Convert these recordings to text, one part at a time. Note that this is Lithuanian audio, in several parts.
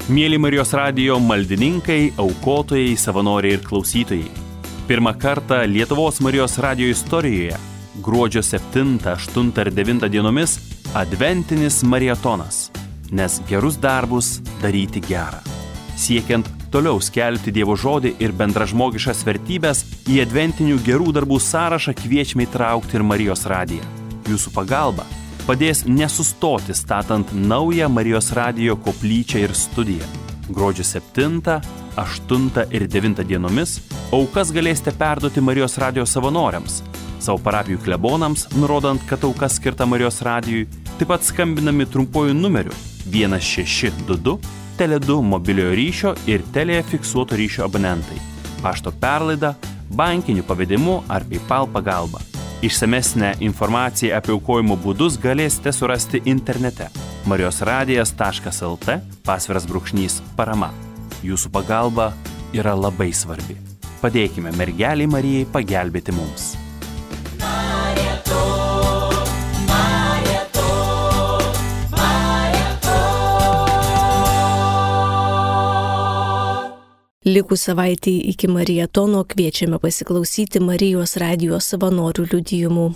Mieli Marijos radijo maldininkai, aukotojai, savanoriai ir klausytojai. Pirmą kartą Lietuvos Marijos radijo istorijoje gruodžio 7, 8 ir 9 dienomis adventinis marietonas, nes gerus darbus daryti gerą. Siekiant toliau skelbti Dievo žodį ir bendražmogiškas vertybės, į adventinių gerų darbų sąrašą kviečiame įtraukti ir Marijos radiją. Jūsų pagalba padės nesustoti statant naują Marijos radijo koplyčią ir studiją. Gruodžio 7, 8 ir 9 dienomis aukas galėsite perduoti Marijos radijo savanoriams, savo parapijų klebonams, nurodant, kad auka skirta Marijos radijui, taip pat skambinami trumpuoju numeriu 1622, Tele2 mobiliojo ryšio ir Telia fiksuoto ryšio abonentai, pašto perlaida, bankiniu pavedimu ar PayPal pagalba. Išsamesnę informaciją apie aukojimo būdus galėsite surasti internete marijosradijas.lt /parama. Jūsų pagalba yra labai svarbi. Padėkime mergelei Marijai pagelbėti mums. Likus savaitį iki marietono kviečiame pasiklausyti Marijos radijo savanorių liudijimų.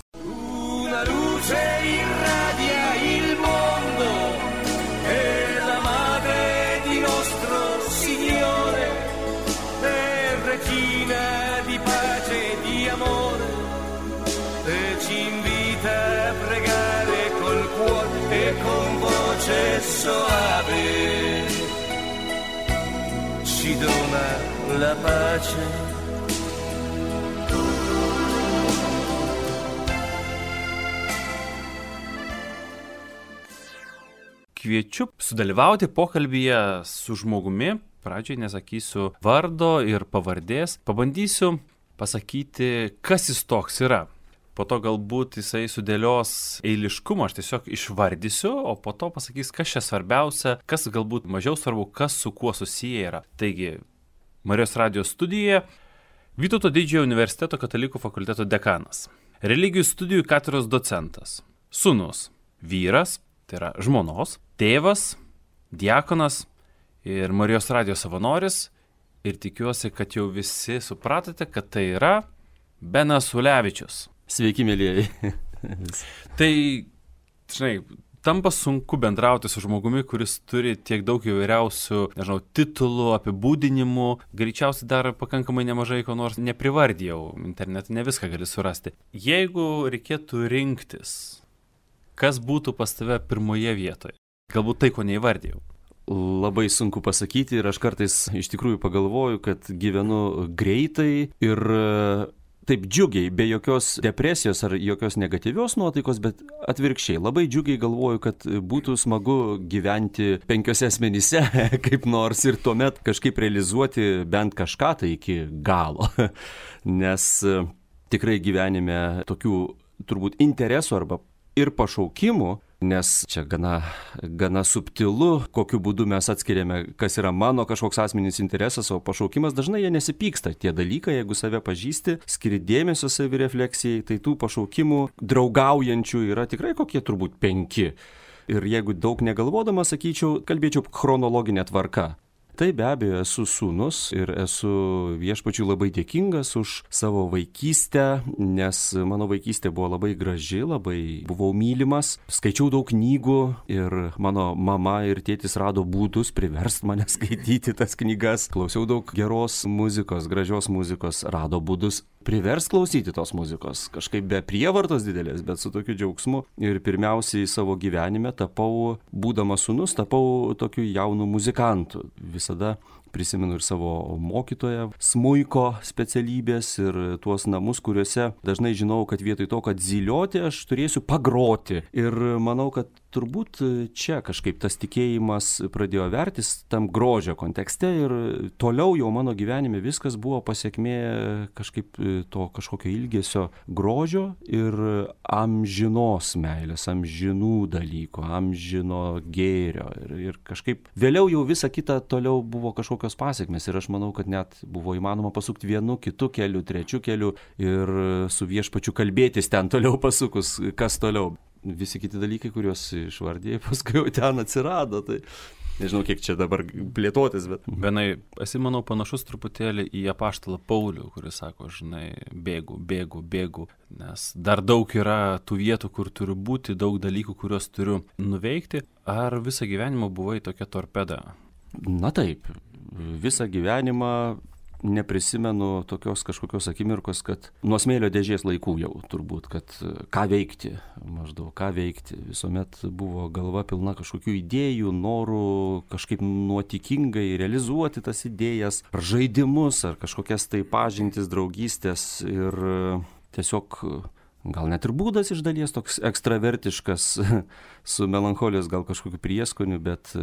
Ci dona la pace. Kviečiu sudalyvauti pokalbyje su žmogumi. Pradžiai nesakysiu vardo ir pavardės. Pabandysiu pasakyti, kas jis toks yra. Po to galbūt jisai sudėlios eiliškumą, aš tiesiog išvardysiu, o po to pasakys, kas čia svarbiausia, kas galbūt mažiau svarbu, kas su kuo susiję yra. Taigi, Marijos radijos studijoje Vytauto Didžiojo universiteto katalikų fakulteto dekanas, religijų studijų katedros docentas, sūnus, vyras, tai yra žmonos, tėvas, diakonas ir Marijos radijos savanoris. Ir tikiuosi, kad jau visi supratote, kad tai yra Benas Ulevičius. Sveiki, mėlyjeji. Tai, žinai, tampa sunku bendrauti su žmogumi, kuris turi tiek daug įvairiausių, titulų, apibūdinimų. Greičiausiai dar pakankamai nemažai ko nors neprivardijau. Internete ne viską gali surasti. Jeigu reikėtų rinktis, kas būtų pas tave pirmoje vietoje? Galbūt tai, ko neįvardijau. Labai sunku pasakyti ir aš kartais iš tikrųjų pagalvoju, kad gyvenu greitai ir taip džiugiai, be jokios depresijos ar jokios negatyvios nuotaikos, bet atvirkščiai. Labai džiugiai galvoju, kad būtų smagu gyventi 5 asmenyse kaip nors ir tuomet kažkaip realizuoti bent kažką tai iki galo. Nes tikrai gyvenime tokių turbūt interesų arba ir pašaukimų, nes čia gana subtilu, kokiu būdu mes atskiriame, kas yra mano kažkoks asmeninis interesas, o pašaukimas dažnai jie nesipyksta. Tie dalykai, jeigu save pažįsti, skiri dėmesio savirefleksijai, tai tų pašaukimų draugaujančių yra tikrai kokie turbūt 5. Ir jeigu daug negalvodama, sakyčiau, kalbėčiau chronologinė tvarka. Tai be abejo esu sūnus ir esu Viešpačiui labai dėkingas už savo vaikystę, nes mano vaikystė buvo labai graži, labai buvau mylimas, skaičiau daug knygų ir mano mama ir tėtis rado būdus priverst mane skaityti tas knygas, klausiau daug geros muzikos, gražios muzikos, rado būdus privers klausyti tos muzikos, kažkaip be prievartos didelės, bet su tokiu džiaugsmu. Ir pirmiausiai savo gyvenime būdamas sūnus, tapau tokiu jaunu muzikantu. Visada prisimenu ir savo mokytoją, smuiko specialybės ir tuos namus, kuriuose dažnai žinau, kad vietoj to, kad zylioti, aš turėsiu pagroti. Ir manau, kad turbūt čia kažkaip tas tikėjimas pradėjo vertis tam grožio kontekste ir toliau jau mano gyvenime viskas buvo pasiekmė kažkaip to kažkokio ilgesio grožio ir amžinos meilės, amžinų dalykų, amžino gėrio. Ir kažkaip vėliau jau visa kita toliau buvo kažkokios pasiekmės ir aš manau, kad net buvo įmanoma pasukti vienu, kitu keliu, trečiu keliu ir su Viešpačiu kalbėtis ten toliau pasukus, kas toliau. visi kiti dalykai, kuriuos išvardėjai, paskui jau ten atsirado. Tai nežinau, kiek čia dabar plėtotis, bet... Benai, esi, manau, panašus truputėlį į apaštalą Paulių, kuris sako, žinai, bėgu, nes dar daug yra tų vietų, kur turiu būti, daug dalykų, kuriuos turiu nuveikti. Ar visą gyvenimą buvai tokia torpeda? Na taip, visą gyvenimą neprisimenu tokios kažkokios akimirkos, kad nuo smėlio dėžės laikų jau turbūt, kad ką veikti, visuomet buvo galva pilna kažkokių idėjų, norų kažkaip nuotikingai realizuoti tas idėjas, ar žaidimus, ar kažkokias tai pažintis, draugystės ir tiesiog gal net ir būdas iš dalies toks ekstravertiškas su melancholijos gal kažkokiu prieskoniu, bet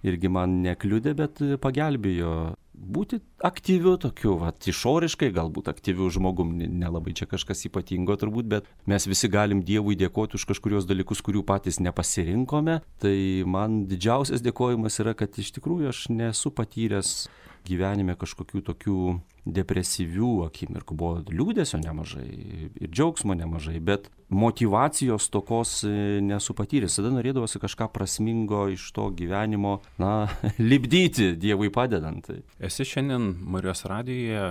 irgi man nekliudė, bet pagelbėjo būti aktyviu tokiu, išoriškai galbūt aktyviu žmogum, nelabai čia kažkas ypatingo turbūt, bet mes visi galim Dievui dėkoti už kažkurios dalykus, kurių patys nepasirinkome. Tai man didžiausias dėkojimas yra, kad iš tikrųjų aš nesu patyręs gyvenime kažkokių tokių depresyvių akimirkų. Buvo liūdesio nemažai ir džiaugsmo nemažai, bet motyvacijos stokos nesu patyręs. Tada norėdavosi kažką prasmingo iš to gyvenimo, lipdyti Dievui padedant. Esi šiandien Marijos radijuje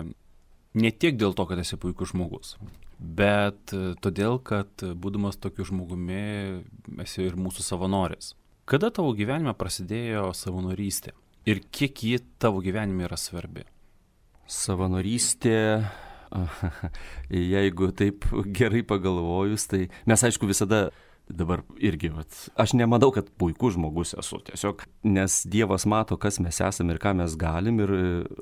ne tiek dėl to, kad esi puikus žmogus, bet todėl, kad būdamas tokiu žmogumi esi ir mūsų savanoris. Kada tavo gyvenime prasidėjo savanorystė? Ir kiek ji tavo gyvenime yra svarbi? Savanorystė, jeigu taip gerai pagalvojus, tai mes aišku visada dabar irgi, aš nemanau, kad puikus žmogus esu, tiesiog, nes Dievas mato, kas mes esame ir ką mes galim, ir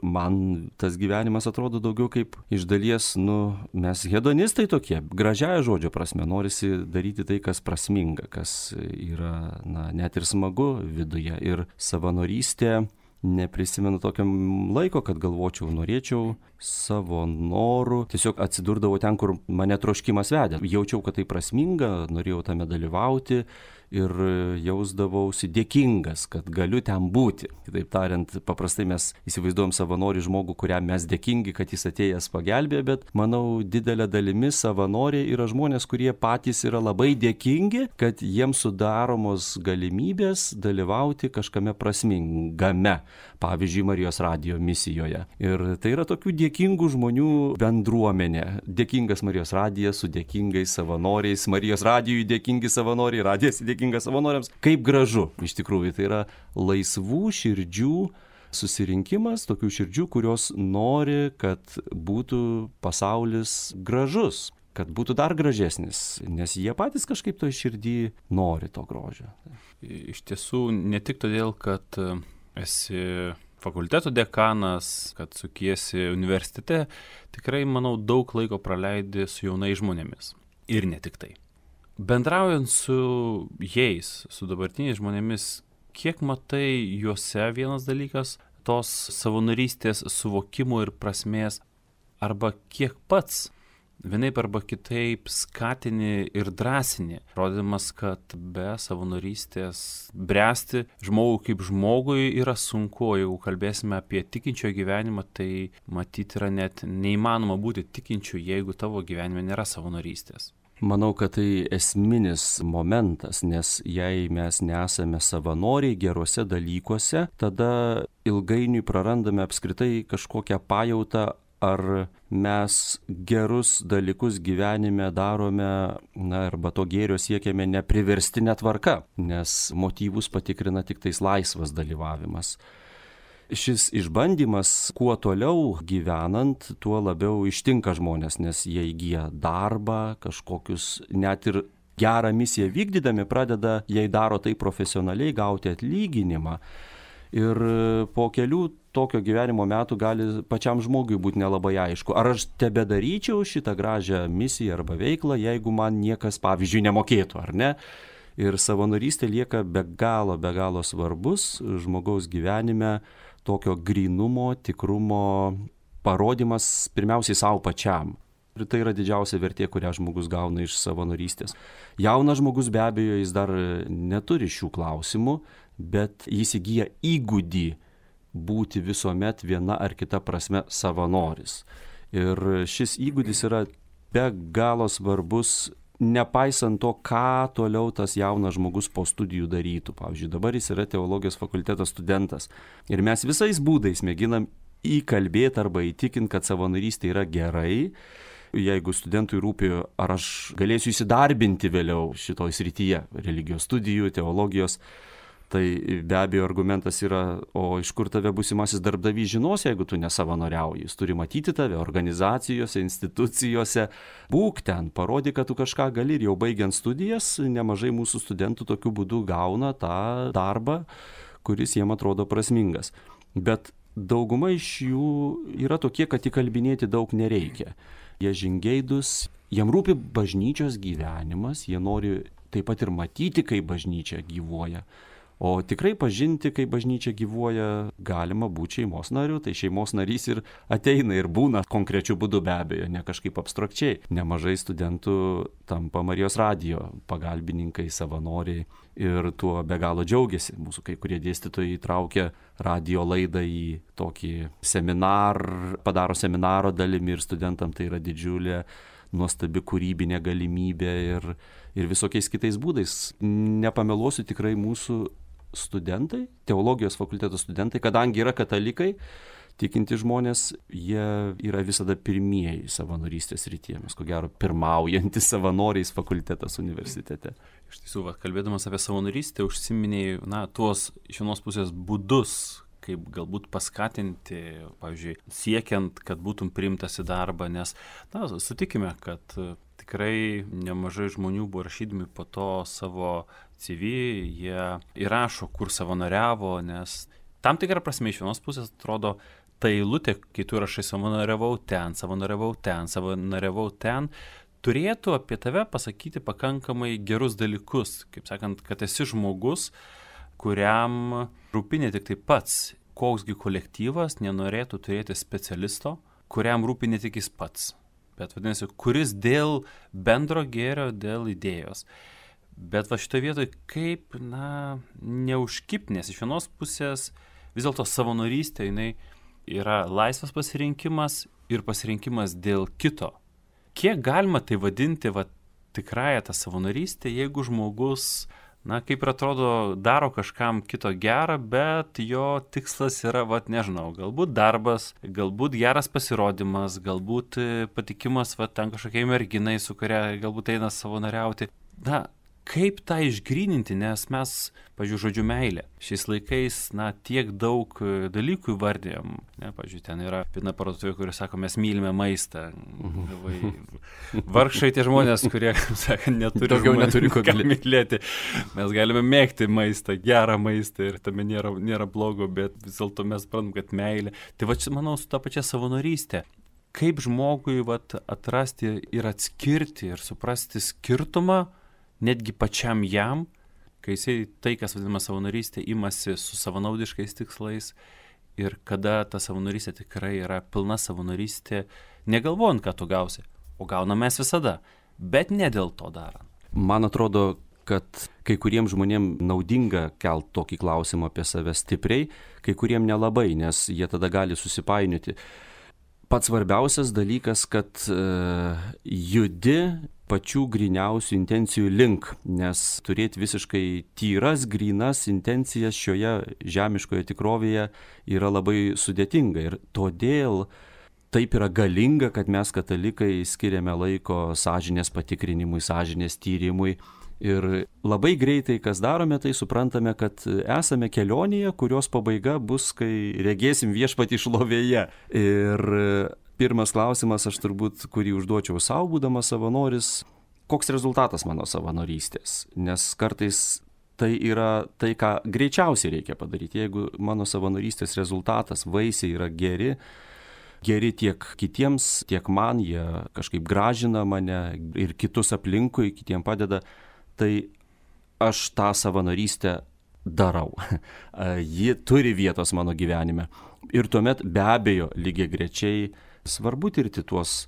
man tas gyvenimas atrodo daugiau kaip iš dalies, mes hedonistai tokie, gražiaja žodžio prasme, norisi daryti tai, kas prasminga, kas yra, net ir smagu viduje, ir savanorystė. Neprisimenu tokio laiko, kad galvočiau, norėčiau savo norų. Tiesiog atsidurdavau ten, kur mane troškimas vedė. Jaučiau, kad tai prasminga, norėjau tame dalyvauti ir jausdavausi dėkingas, kad galiu ten būti. Kitaip tariant, paprastai mes įsivaizduojam savanorį žmogų, kuriam mes dėkingi, kad jis atėjęs pagelbėjo, bet manau, didelė dalimi savanoriai yra žmonės, kurie patys yra labai dėkingi, kad jiems sudaromos galimybės dalyvauti kažkame prasmingame, pavyzdžiui, Marijos radijo misijoje. Ir tai yra tokių dėkingų žmonių bendruomenė. Dėkingas Marijos radijas su dėkingais savanoriais, Marijos radijui dėkingi savanoriai, radijas dėkingas savanoriams. Kaip gražu, iš tikrųjų, tai yra laisvų širdžių susirinkimas, tokių širdžių, kurios nori, kad būtų pasaulis gražus, kad būtų dar gražesnis, nes jie patys kažkaip to širdį nori to grožio. Iš tiesų, ne tik todėl, kad esi fakulteto dekanas, kad sukiesi universitete, tikrai, manau, daug laiko praleidi su jaunais žmonėmis. Ir ne tik tai. Bendraujant su jais, su dabartiniais žmonėmis, kiek matai juose vienas dalykas, tos savanorystės suvokimo ir prasmės, arba kiek pats vienaip arba kitaip skatini ir drąsini, rodydamas, kad be savanorystės bręsti žmogui kaip žmogui yra sunku, jeigu kalbėsime apie tikinčio gyvenimą, tai matyti yra net neįmanoma būti tikinčiu, jeigu tavo gyvenime nėra savanorystės. Manau, kad tai esminis momentas, nes jei mes nesame savanoriai geruose dalykuose, tada ilgainiui prarandame apskritai kažkokią pajautą, ar mes gerus dalykus gyvenime darome, arba to gėrio siekiame nepriverstinė tvarka, nes motyvus patikrina tik tais laisvas dalyvavimas. Šis išbandymas, kuo toliau gyvenant, tuo labiau ištinka žmonės, nes jie įgyja darbą, kažkokius net ir gerą misiją vykdydami pradeda, jei daro tai profesionaliai, gauti atlyginimą. Ir po kelių tokio gyvenimo metų gali pačiam žmogui būti nelabai aišku, ar aš tebedaryčiau šitą gražią misiją arba veiklą, jeigu man niekas, pavyzdžiui, nemokėtų, ar ne? Ir savanorystė lieka be galo svarbus žmogaus gyvenime, tokio grynumo, tikrumo parodimas pirmiausiai savo pačiam. Ir tai yra didžiausia vertė, kurią žmogus gauna iš savanorystės. Jaunas žmogus be abejo, jis dar neturi šių klausimų, bet jis įgyja įgūdį būti visuomet viena ar kita prasme savanoris. Ir šis įgūdis yra be galo svarbus nepaisant to, ką toliau tas jaunas žmogus po studijų darytų. Pavyzdžiui, dabar jis yra teologijos fakulteto studentas. Ir mes visais būdais mėginam įkalbėti arba įtikinti, kad savanorystė yra gerai. Jeigu studentui rūpi, ar aš galėsiu įsidarbinti vėliau šitoj srityje, religijos studijų, teologijos, tai be abejo argumentas yra, o iš kur tave būsimasis darbdavys žinos, jeigu tu nesavanoriauji. Jis turi matyti tave organizacijose, institucijose, būk ten, parodyk, kad tu kažką gali, ir jau baigiant studijas, nemažai mūsų studentų tokiu būdu gauna tą darbą, kuris jiem atrodo prasmingas. Bet dauguma iš jų yra tokie, kad įkalbinėti daug nereikia. Jie žingeidus, jiem rūpi bažnyčios gyvenimas, jie nori taip pat ir matyti, kaip bažnyčia gyvuoja. O tikrai pažinti, kaip bažnyčia gyvuoja, galima būti šeimos nariu, tai šeimos narys ir ateina ir būna konkrečiu būdu, be abejo, ne kažkaip abstrakčiai. Nemažai studentų tampa Marijos radijo pagalbininkai, savanoriai ir tuo be galo džiaugiasi. Mūsų kai kurie dėstytojai įtraukia radijo laidą į tokį seminarą, padaro seminaro dalimi, ir studentam tai yra didžiulė nuostabi kūrybinė galimybė ir visokiais kitais būdais. Nepameluosiu, tikrai mūsų studentai, teologijos fakulteto studentai, kadangi yra katalikai, tikinti žmonės, jie yra visada pirmieji savanorystės rytyje. Mes, ko gero, pirmaujantis savanoriais fakultetas universitete. Iš tiesų, kalbėdamas apie savanorystę, užsiminėjai, tuos iš vienos pusės būdus, kaip galbūt paskatinti, pavyzdžiui, siekiant, kad būtum priimtas į darbą, nes, sutikime, kad tikrai nemažai žmonių buvo rašydami po to savo CV, jie įrašo, kur savanoriavo, nes tam tikrą prasme iš vienos pusės atrodo, ta eilutė, kai tu rašai savanoriavau ten, turėtų apie tave pasakyti pakankamai gerus dalykus, kaip sakant, kad esi žmogus, kuriam rūpi ne tik tai pats, koksgi kolektyvas nenorėtų turėti specialisto, kuriam rūpi ne tik jis pats, bet vadinasi, kuris dėl bendro gėrio, dėl idėjos. Bet šitoje vietoje kaip, neužkipti, nes iš vienos pusės vis dėlto savanorystė, jinai yra laisvas pasirinkimas ir pasirinkimas dėl kito. Kiek galima tai vadinti tikrąją tą savanorystę, jeigu žmogus, kaip ir atrodo, daro kažkam kito gerą, bet jo tikslas yra, nežinau, galbūt darbas, galbūt geras pasirodymas, galbūt patikimas ten kažkokiai merginai, su kuria galbūt eina savanoriauti. Kaip tą išgryninti, nes mes, pavyzdžiui, žodžiu meilė, šiais laikais, tiek daug dalykų įvardėjom, pavyzdžiui, ten yra viena parduotuvė, kuri sako, mes mylime maistą. Vargšai tie žmonės, kurie, neturi ką mylėti. Mes galime mėgti maistą, gerą maistą ir tame nėra blogo, bet vis dėlto mes suprantam, kad meilė. Tai manau, su ta pačia savanorystė. Kaip žmogui atrasti ir atskirti ir suprasti skirtumą, netgi pačiam jam, kai jisai tai, kas vadinama savanorystė, imasi su savanaudiškais tikslais ir kada ta savanorystė tikrai yra pilna savanorystė, negalvojant, ką tu gausi, o gaunam mes visada, bet ne dėl to darant. Man atrodo, kad kai kuriems žmonėms naudinga kelt tokį klausimą apie save stipriai, kai kuriems nelabai, nes jie tada gali susipainioti. Pats svarbiausias dalykas, kad judi pačių griniausių intencijų link, nes turėti visiškai tyras, grynas intencijas šioje žemiškoje tikrovėje yra labai sudėtinga. Ir todėl taip yra galinga, kad mes katalikai skiriame laiko sąžinės patikrinimui, sąžinės tyrimui. Ir labai greitai, kas darome, tai suprantame, kad esame kelionėje, kurios pabaiga bus, kai regėsim Viešpatį šlovėje. Ir pirmas klausimas, aš turbūt, kurį užduočiau savo, būdamas savanoris, koks rezultatas mano savanorystės? Nes kartais tai yra tai, ką greičiausiai reikia padaryti. Jeigu mano savanorystės rezultatas, vaisiai yra geri tiek kitiems, tiek man, jie kažkaip gražina mane ir kitus aplinkui, kitiem padeda, tai aš tą savanorystę darau. Ji turi vietos mano gyvenime. Ir tuomet be abejo lygiagrečiai svarbu tirti tuos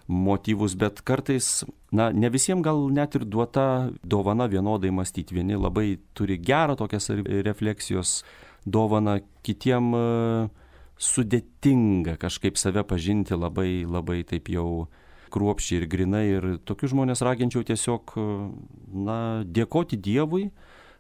motyvus, bet kartais, ne visiems gal net ir duota dovana vienodai mąstyti. Vieni labai turi gerą tokias refleksijos dovaną, kitiem sudėtinga kažkaip save pažinti labai taip jau kruopščiai ir grinai. Ir tokius žmonės raginčiau tiesiog, dėkoti Dievui,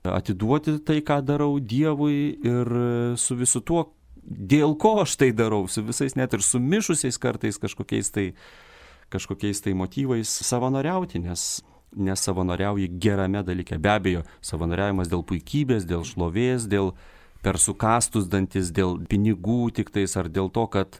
atiduoti tai, ką darau Dievui ir su visu tuo, dėl ko aš tai darau, su visais net ir sumišusiais kartais kažkokiais tai motyvais savanoriauti, nes savanoriauji gerame dalyke. Be abejo, savanoriavimas dėl puikybės, dėl šlovės, dėl per sukastus dantis, dėl pinigų tiktais ar dėl to, kad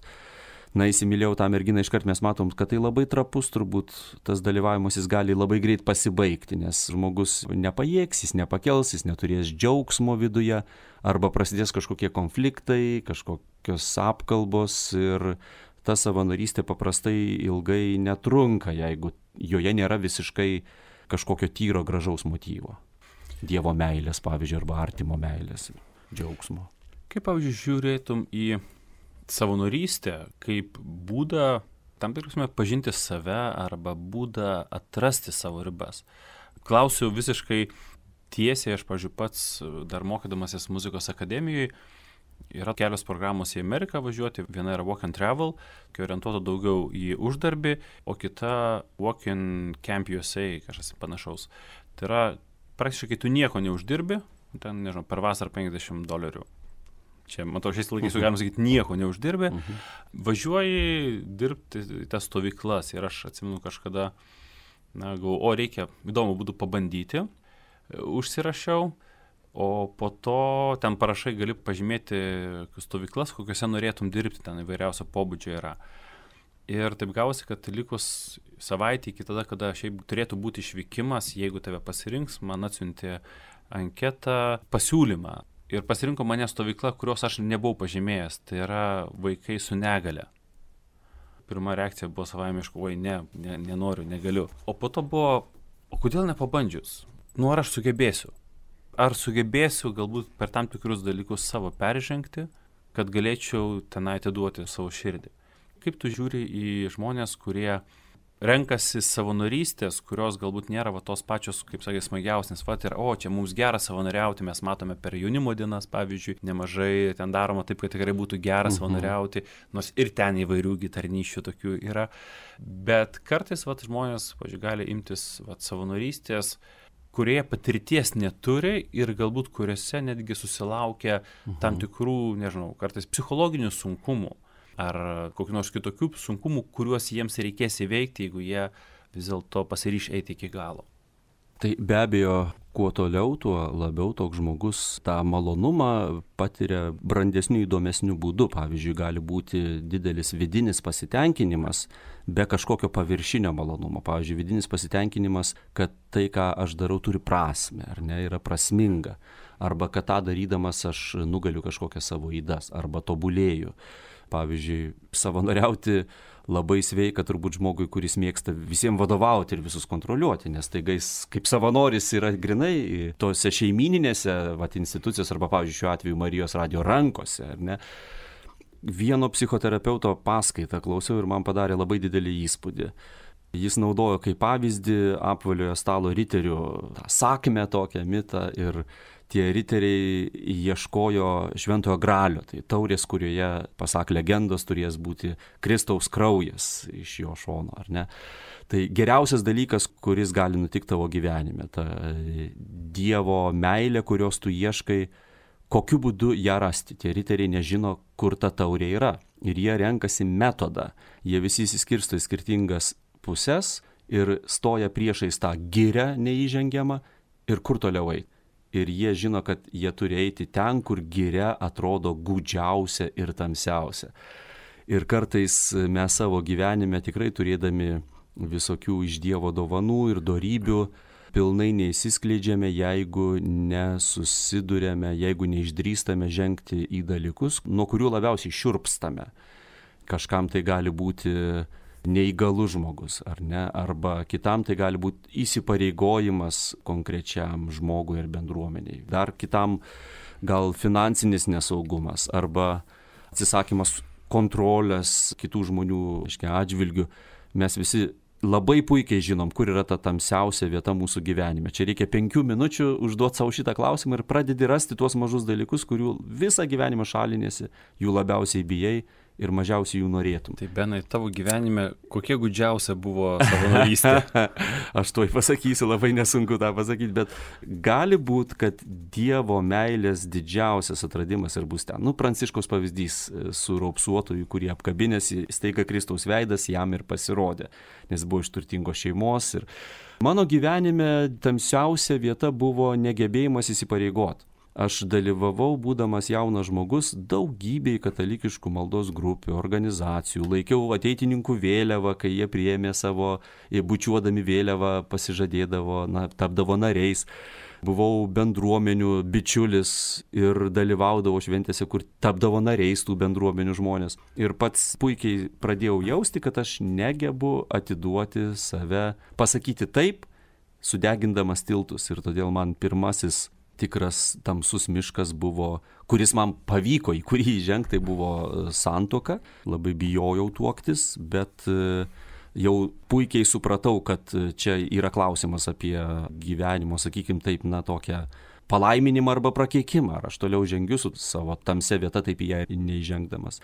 įsimylėjau tą merginą, iškart mes matom, kad tai labai trapus, turbūt tas dalyvavimas jis gali labai greit pasibaigti, nes žmogus nepajėgs, jis nepakels, jis neturės džiaugsmo viduje, arba prasidės kažkokie konfliktai, kažkokios apkalbos ir ta savanorystė paprastai ilgai netrunka, jeigu joje nėra visiškai kažkokio tyro gražaus motyvo. Dievo meilės, pavyzdžiui, arba artimo meilės, džiaugsmo. Kaip, pavyzdžiui, žiūrėtum į savanorystę kaip būdą, tam tikrasme, pažinti save arba būdą atrasti savo ribas? Klausiu visiškai tiesiai, aš, pavyzdžiui, pats dar mokydamasis muzikos akademijoje, yra kelios programos į Ameriką važiuoti, viena yra Walk and Travel, kai orientuota daugiau į uždarbį, o kita Walk in Camp USA, kažkas panašaus. Tai yra, praktiškai tu nieko neuždirbi, ten, nežinau, per vasarą $50. Čia, matau, šiais laikais galima sakyti, nieko neuždirbi. Važiuoji dirbti į tas stovyklas ir aš atsimenu kažkada, galvoju, reikia, įdomu būtų pabandyti, užsirašiau. O po to ten parašai gali pažymėti stovyklas, kokiuose norėtum dirbti, ten įvairiausio pobūdžio yra. Ir taip gavosi, kad likus savaitę iki tada, kada šiaip turėtų būti išvykimas, jeigu tave pasirinks, man atsiuntė anketą, pasiūlymą. Ir pasirinko mane stovykla, kurios aš nebuvau pažymėjęs, tai yra vaikai su negale. Pirma reakcija buvo savaimiška, nenoriu, negaliu. O po to buvo, o kodėl nepabandžius? Ar aš sugebėsiu? Ar sugebėsiu galbūt per tam tikrus dalykus savo peržengti, kad galėčiau tenai atiduoti savo širdį? Kaip tu žiūri į žmonės, kurie renkasi savanorystės, kurios galbūt nėra tos pačios, kaip sakė, smagiausias, ir čia mums gera savanoriauti, mes matome per jaunimo dienas, pavyzdžiui, nemažai ten daroma taip, kad tikrai būtų gera savanoriauti, nors ir ten įvairių gitarnyšių tokių yra, bet kartais žmonės, pavyzdžiui, gali imtis savanorystės, kurie patirties neturi ir galbūt kuriuose netgi susilaukia tam tikrų, nežinau, kartais psichologinių sunkumų ar kokių nors kitokių sunkumų, kuriuos jiems reikės įveikti, jeigu jie vis dėlto pasiryš eiti iki galo. Tai be abejo, kuo toliau, tuo labiau toks žmogus tą malonumą patiria brandesnių, įdomesnių būdų. Pavyzdžiui, gali būti didelis vidinis pasitenkinimas be kažkokio paviršinio malonumo. Pavyzdžiui, vidinis pasitenkinimas, kad tai, ką aš darau, turi prasmę, ar ne, yra prasminga. Arba kad tą darydamas aš nugaliu kažkokias savo ydas, arba tobulėju. Pavyzdžiui, savanoriauti labai sveika turbūt žmogui, kuris mėgsta visiems vadovauti ir visus kontroliuoti, nes taigais kaip savanoris yra grinai tose šeimininėse institucijos arba, pavyzdžiui, šiuo atveju Marijos radijo rankose, ar ne. Vieno psichoterapeuto paskaitą klausiau ir man padarė labai didelį įspūdį. Jis naudojo kaip pavyzdį apvaliojo stalo riterių tą sakmę tokią mitą ir tie riteriai ieškojo šventojo gralio, tai taurės, kurioje, pasak legendos, turės būti Kristaus kraujas iš jo šono, ar ne? Tai geriausias dalykas, kuris gali nutikti tavo gyvenime, ta Dievo meilė, kurios tu ieškai, kokiu būdu ją rasti. Tie riteriai nežino, kur ta taurė yra ir jie renkasi metodą. Jie visi įsiskirsto į skirtingas pusės ir stoja priešais tą girią neįžengiamą ir kur toliau eiti. Ir jie žino, kad jie turi eiti ten, kur giria atrodo gūdžiausia ir tamsiausia. Ir kartais mes savo gyvenime tikrai turėdami visokių iš Dievo dovanų ir dorybių pilnai neįsiskleidžiame, jeigu nesusidurėme, jeigu neišdrįstame žengti į dalykus, nuo kurių labiausiai šiurpstame. Kažkam tai gali būti neįgalus žmogus, ar ne, arba kitam tai gali būti įsipareigojimas konkrečiam žmogui ir bendruomeniai. Dar kitam gal finansinis nesaugumas arba atsisakymas kontrolės kitų žmonių atžvilgių. Mes visi labai puikiai žinom, kur yra ta tamsiausia vieta mūsų gyvenime. Čia reikia 5 minučių užduoti savo šitą klausimą ir pradedi rasti tuos mažus dalykus, kurių visą gyvenimą šalinėsi, jų labiausiai bijai ir mažiausiai jų norėtum. Tai Benai, tavo gyvenime kokia gudžiausia buvo savanorystė? Aš tuoj pasakysiu, labai nesunku tą pasakyti, bet gali būti, kad Dievo meilės didžiausias atradimas ir bus ten. Pranciškaus pavyzdys su raupsuotoju, kurį apkabinėsi, staiga Kristaus veidas jam ir pasirodė, nes buvo iš turtingos šeimos. Ir mano gyvenime tamsiausia vieta buvo negebėjimas įsipareigoti. Aš dalyvavau, būdamas jaunas žmogus, daugybėj katalikiškų maldos grupių, organizacijų, laikiau ateitininkų vėliavą, kai jie priėmė savo, bučiuodami vėliavą, pasižadėdavo, tapdavo nariais. Buvau bendruomenių bičiulis ir dalyvaudavau šventėse, kur tapdavo nariais tų bendruomenių žmonės. Ir pats puikiai pradėjau jausti, kad aš negebu atiduoti save, pasakyti taip, sudegindamas tiltus. Ir todėl man pirmasis tikras tamsus miškas buvo, kuris man pavyko, į kurį įžengti, tai buvo santuoka. Labai bijojau tuoktis, bet jau puikiai supratau, kad čia yra klausimas apie gyvenimo, sakykim taip, tokią palaiminimą arba prakeikimą. Ar aš toliau žengiu su savo tamsia vieta, taip į ją neįžengdamas.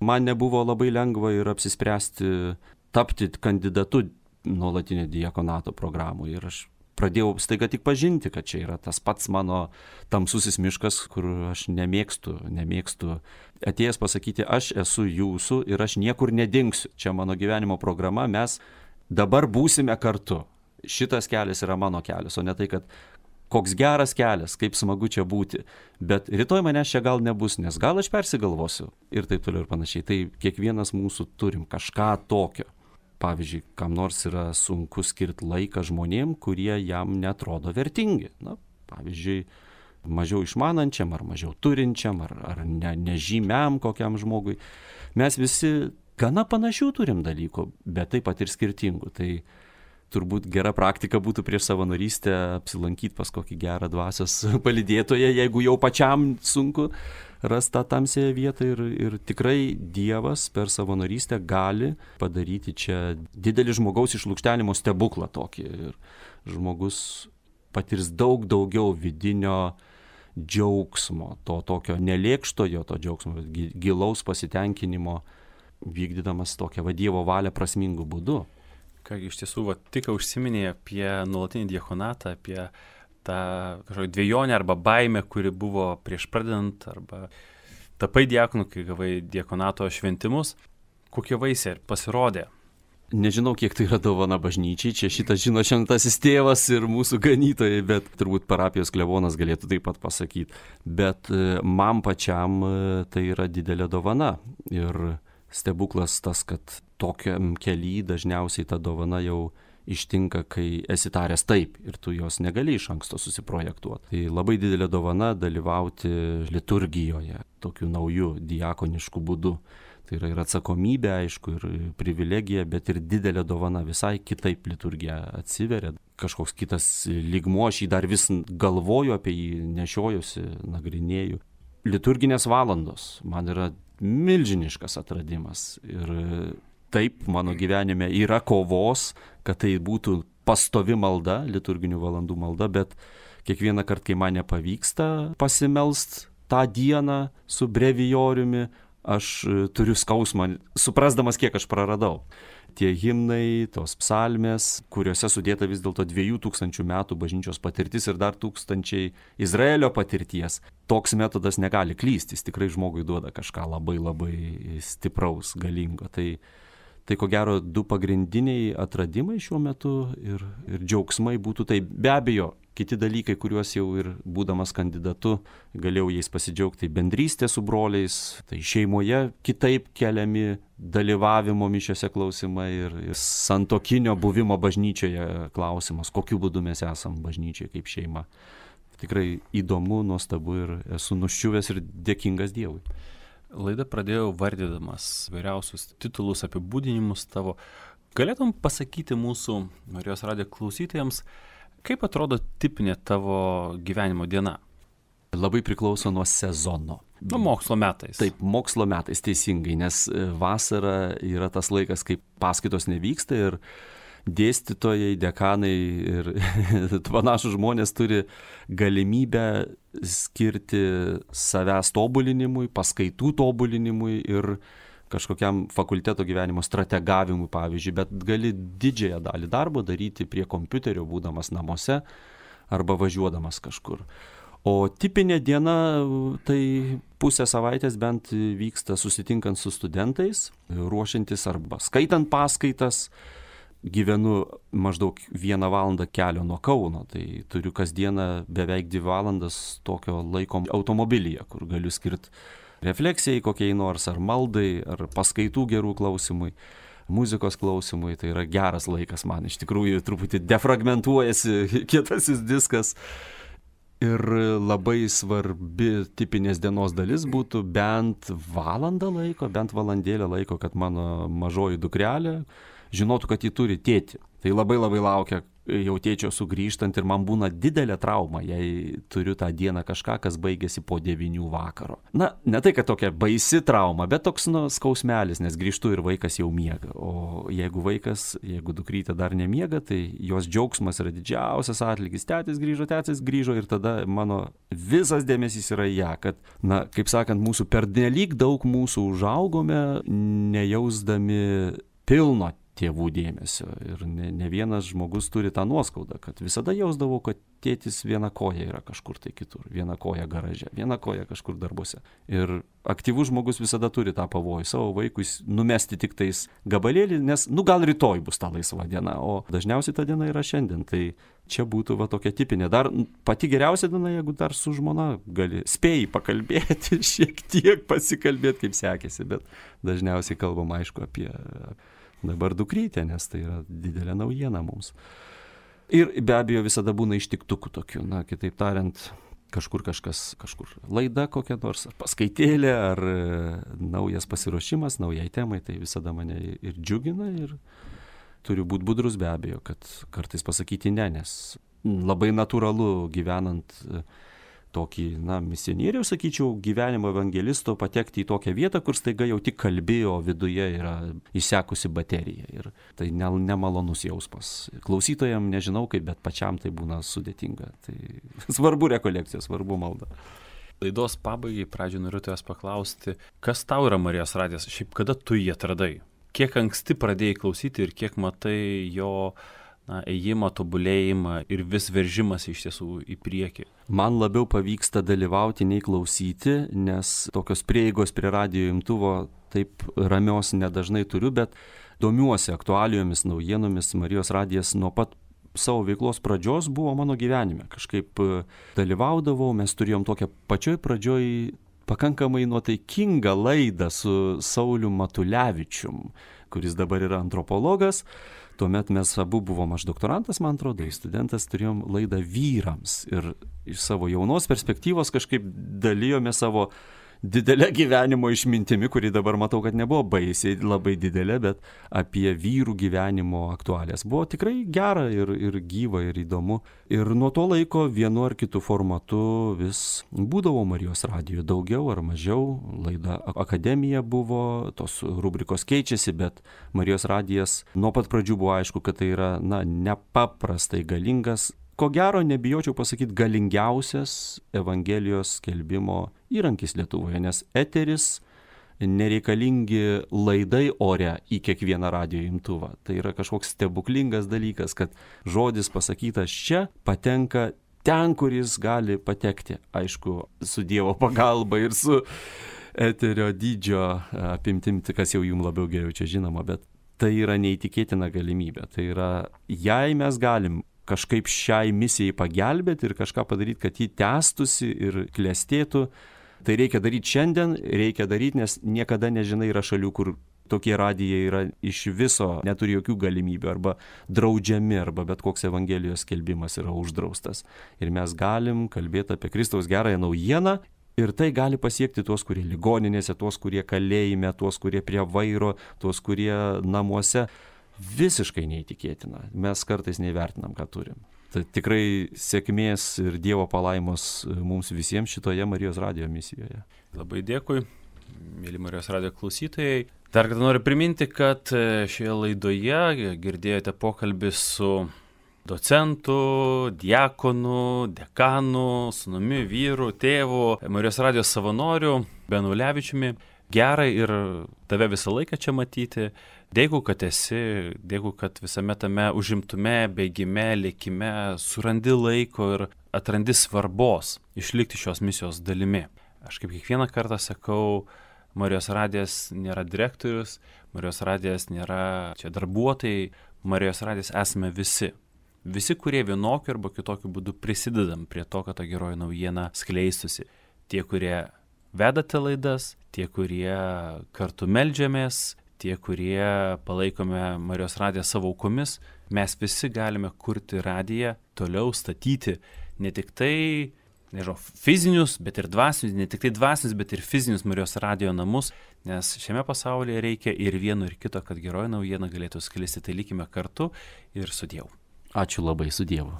Man nebuvo labai lengva ir apsispręsti tapti kandidatu nuolatinio diakonato programų. Ir aš pradėjau staiga tik pažinti, kad čia yra tas pats mano tamsusis miškas, kur aš nemėgstu atėjęs pasakyti, aš esu jūsų ir aš niekur nedingsiu. Čia mano gyvenimo programa, mes dabar būsime kartu. Šitas kelias yra mano kelias, o ne tai, kad koks geras kelias, kaip smagu čia būti. Bet rytoj manęs čia gal nebus, nes gal aš persigalvosiu ir taip toliau ir panašiai. Tai kiekvienas mūsų turim kažką tokio. Pavyzdžiui, kam nors yra sunku skirti laiką žmonėm, kurie jam netrodo vertingi. Pavyzdžiui, mažiau išmanančiam ar mažiau turinčiam ar nežymiam kokiam žmogui. Mes visi gana panašių turim dalykų, bet taip pat ir skirtingų. Tai turbūt gera praktika būtų prieš savanorystę apsilankyti pas kokį gerą dvasios palydėtoją, jeigu jau pačiam sunku rasti tą tamsiąją vietą ir tikrai Dievas per savanorystę gali padaryti čia didelį žmogaus išlukštenimo stebuklą tokį. Ir žmogus patirs daug daugiau vidinio džiaugsmo, to tokio nelėkštojo to džiaugsmo, bet gilaus pasitenkinimo, vykdydamas tokią Dievo valią prasmingų būdų. Kągi, iš tiesų, tik užsiminė apie nuolatinį diakonatą, apie tą kažkokią dvejonę arba baimę, kuri buvo prieš pradedant, arba tapai diakonu, kai gavai diakonato šventimus. Kokie vaisiai pasirodė? Nežinau, kiek tai yra dovana bažnyčiai, čia šitą žino šventasis tėvas ir mūsų ganytojai, bet turbūt parapijos klebonas galėtų taip pat pasakyti. Bet man pačiam tai yra didelė dovana ir stebuklas tas, kad tokiam kely dažniausiai ta dovana jau ištinka, kai esi taręs taip ir tu jos negali iš anksto susiprojektuoti. Tai labai didelė dovana dalyvauti liturgijoje tokiu nauju diakonišku būdu. Tai yra ir atsakomybė, aišku, ir privilegija, bet ir didelė dovana, visai kitaip liturgija atsiveria. Kažkoks kitas lygmuo, aš jį dar vis galvoju apie jį, nešiojuosi, nagrinėju. Liturginės valandos man yra milžiniškas atradimas ir taip mano gyvenime yra kovos, kad tai būtų pastovi malda, liturginių valandų malda, bet kiekvieną kartą, kai man nepavyksta pasimelst tą dieną su brevijoriumi, aš turiu skausmą, suprasdamas, kiek aš praradau. Tie himnai, tos psalmės, kuriuose sudėta vis dėlto 2000 metų bažnyčios patirtis ir dar 1000 Izraelio patirties. Toks metodas negali klysti, jis tikrai žmogui duoda kažką labai labai stipraus, galingo. Tai ko gero du pagrindiniai atradimai šiuo metu ir džiaugsmai būtų tai be abejo. Kiti dalykai, kuriuos jau ir būdamas kandidatu galėjau jais pasidžiaugti, tai bendrystė su broliais, tai šeimoje kitaip keliami dalyvavimo mišiose klausimai ir santuokinio buvimo bažnyčioje klausimas, kokiu būdu mes esam bažnyčioje kaip šeima. Tikrai įdomu, nuostabu ir esu nuščiuvęs ir dėkingas Dievui. Laidą pradėjau vardydamas vairiausius titulus, apibūdinimus tavo. Galėtum pasakyti mūsų Marijos radijo klausytojams, kaip atrodo tipinė tavo gyvenimo diena? Labai priklauso nuo sezono. Mokslo metais. Taip, mokslo metais teisingai, nes vasara yra tas laikas, kai paskaitos nevyksta ir dėstytojai, dekanai ir panašus žmonės turi galimybę skirti savęs tobulinimui, paskaitų tobulinimui ir kažkokiam fakulteto gyvenimo strategavimui, pavyzdžiui, bet gali didžiąją dalį darbo daryti prie kompiuterio, būdamas namuose arba važiuodamas kažkur. O tipinė diena tai pusę savaitės bent vyksta susitinkant su studentais, ruošiantis arba skaitant paskaitas. Gyvenu maždaug 1 valandą kelio nuo Kauno, tai turiu kasdieną beveik 2 valandas tokio laiko automobilyje, kur galiu skirti refleksijai kokiai nors, ar maldai, ar paskaitų gerų klausimui, muzikos klausimui. Tai yra geras laikas man, iš tikrųjų truputį defragmentuojasi kietasis diskas. Ir labai svarbi tipinės dienos dalis būtų bent valandą laiko, bent valandėlę laiko, kad mano mažoji dukrelė žinotų, kad ji turi tėtį. Tai labai laukia jau tėčio sugrįžtant ir man būna didelė trauma, jei turiu tą dieną kažką, kas baigėsi po 9 vakaro. Na, ne tai, kad tokia baisi trauma, bet toks skausmelis, nes grįžtu ir vaikas jau miega. O jeigu dukrytė dar nemiega, tai jos džiaugsmas yra didžiausias atlygis. Tėtis grįžo ir tada mano visas dėmesys yra ją, kad, na, kaip sakant, mūsų pernelyg daug mūsų užaugome, nejausdami pilno tėvų dėmesio. Ir ne vienas žmogus turi tą nuoskaudą, kad visada jausdavau, kad tėtis viena koja yra kažkur tai kitur, viena koja garaže, viena koja kažkur darbuose. Ir aktyvus žmogus visada turi tą pavojų savo vaikui numesti tik tais gabalėlį, nes, gal rytoj bus ta laisva diena, o dažniausiai ta diena yra šiandien. Tai čia būtų tokia tipinė. Dar pati geriausia diena, jeigu dar su žmona gali spėjai pakalbėti, šiek tiek pasikalbėti, kaip sekėsi, bet dažniausiai kalbam, aišku, apie dabar dukrytę, nes tai yra didelė naujiena mums. Ir be abejo visada būna ištiktukų tokių, kitaip tariant, kažkur laida kokia nors, ar paskaitėlė, ar naujas pasiruošimas naujai temai, tai visada mane ir džiugina ir turiu būti budrus be abejo, kad kartais pasakyti ne, nes labai natūralu gyvenant tokį, misionieriaus, sakyčiau, gyvenimo evangelisto patekti į tokią vietą, kur staiga jau tik kalbėjo, viduje yra išsekusi baterija. Ir tai nemalonus jausmas. Klausytojams nežinau kaip, bet pačiam tai būna sudėtinga. Tai svarbu rekolekcija, svarbu malda. Laidos pabaigai pradžioje noriu tavęs paklausti, kas tau yra Marijos radijas? Šiaip kada tu jį atradai? Kiek anksti pradėjai klausyti ir kiek matai jo ėjimą, tobulėjimą ir vis veržimas iš tiesų į priekį? Man labiau pavyksta dalyvauti nei klausyti, nes tokios prieigos prie radijo imtuvo taip ramios nedažnai turiu, bet domiuosi aktualijomis, naujienomis. Marijos radijas nuo pat savo veiklos pradžios buvo mano gyvenime. Kažkaip dalyvaudavau, mes turėjom tokią pačioj pradžioj pakankamai nuotaikingą laidą su Sauliu Matulevičium, kuris dabar yra antropologas. Tuomet mes abu buvom, aš doktorantas, man atrodo, studentas, turėjom laidą vyrams ir iš savo jaunos perspektyvos kažkaip dalijome savo didelę gyvenimo išmintimi, kuri dabar matau, kad nebuvo baisiai labai didelė, bet apie vyrų gyvenimo aktualijas. Buvo tikrai gera ir gyva ir įdomu. Ir nuo to laiko vienu ar kitu formatu vis būdavo Marijos radijo daugiau ar mažiau. Laida Akademija buvo, tos rubrikos keičiasi, bet Marijos radijas nuo pat pradžių buvo aišku, kad tai yra nepaprastai galingas, ko gero nebijočiau pasakyti, galingiausias Evangelijos skelbimo įrankis Lietuvoje, nes eteris, nereikalingi laidai ore į kiekvieną radijo imtuvą. Tai yra kažkoks stebuklingas dalykas, kad žodis pasakytas čia patenka ten, kur jis gali patekti. Aišku, su Dievo pagalba ir su eterio dydžio apimtim, kas jau jums labiau geriau čia žinoma, bet tai yra neįtikėtina galimybė. Tai yra, jei mes galim kažkaip šiai misijai pagelbėti ir kažką padaryti, kad ji tęstusi ir klestėtų, tai reikia daryti šiandien, reikia daryti, nes niekada nežinai, yra šalių, kur tokie radijai yra iš viso, neturi jokių galimybių, arba draudžiami, arba bet koks Evangelijos skelbimas yra uždraustas. Ir mes galim kalbėti apie Kristaus gerąją naujieną, ir tai gali pasiekti tuos, kurie ligoninėse, tuos, kurie kalėjime, tuos, kurie prie vairo, tuos, kurie namuose. Visiškai neįtikėtina. Mes kartais neįvertinam, ką turim. Tai tikrai sėkmės ir Dievo palaimos mums visiems šitoje Marijos radijo misijoje. Labai dėkui, mėly Marijos radijo klausytojai. Dar kartą noriu priminti, kad šioje laidoje girdėjote pokalbį su docentu, diakonu, dekanu, sūnumi, vyru, tėvu, Marijos radijos savanoriu Benu Ulevičiumi. Gera ir tave visą laiką čia matyti. Dėkui, kad esi, dėkui, kad visame tame užimtume, bėgime, lėkime, surandi laiko ir atrandi svarbos išlikti šios misijos dalimi. Aš kaip kiekvieną kartą sakau, Marijos radijas nėra direktorius, Marijos radijas nėra čia darbuotojai, Marijos radijas esame visi. Visi, kurie vienokiu arba kitokiu būdu prisidedam prie to, kad ta geroji naujiena skleistusi. Tie, kurie vedate laidas, tie, kurie kartu meldžiamės, tie, kurie palaikome Marijos radiją savo aukomis, mes visi galime kurti radiją, toliau statyti ne tik tai, fizinius, bet ir dvasinius, ne tik tai dvasinius, bet ir fizinius Marijos radijo namus, nes šiame pasaulyje reikia ir vieno, ir kito, kad geroji naujiena galėtų sklisti. Tai likime kartu ir su Dievu. Ačiū labai, su Dievu.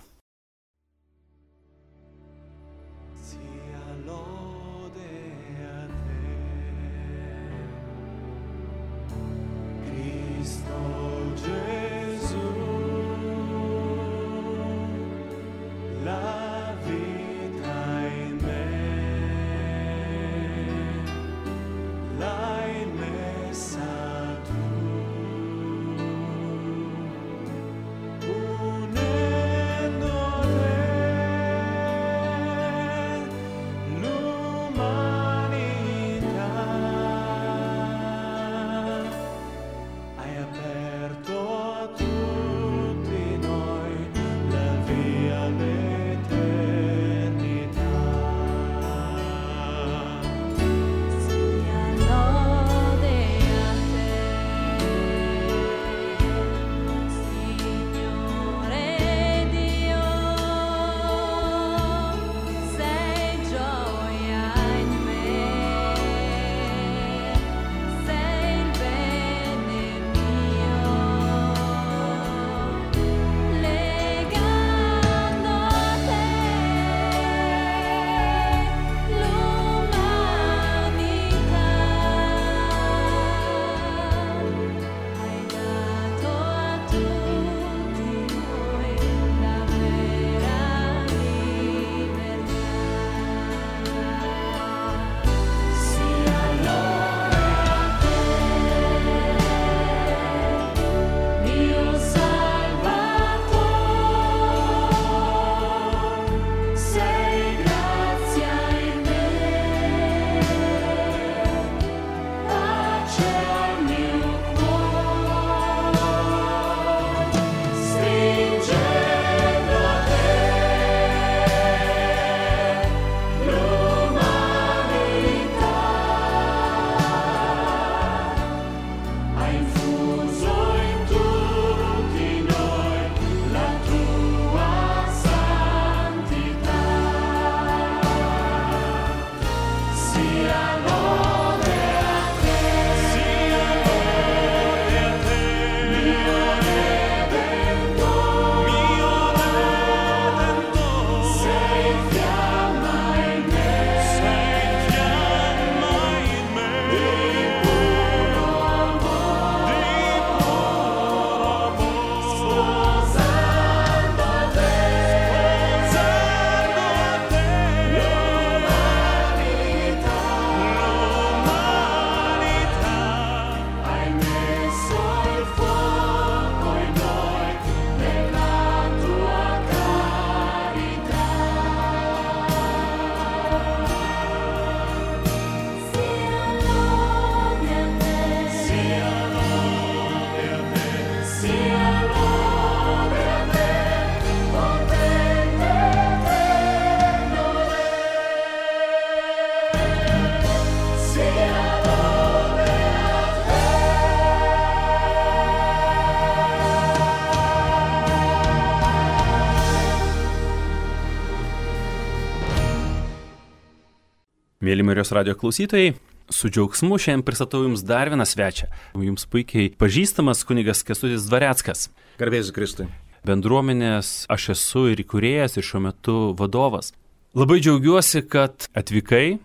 Mėly Marijos radijo klausytojai, su džiaugsmu šiandien pristatau Jums dar vieną svečią. Jums puikiai pažįstamas kunigas Kęstutis Dvareckas. Garbėsiu Kristui. Bendruomenės aš esu ir įkūrėjas ir šiuo metu vadovas. Labai džiaugiuosi, kad atvykai.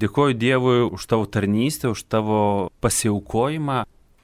Dėkoju Dievui už tavo tarnystę, už tavo pasiaukojimą.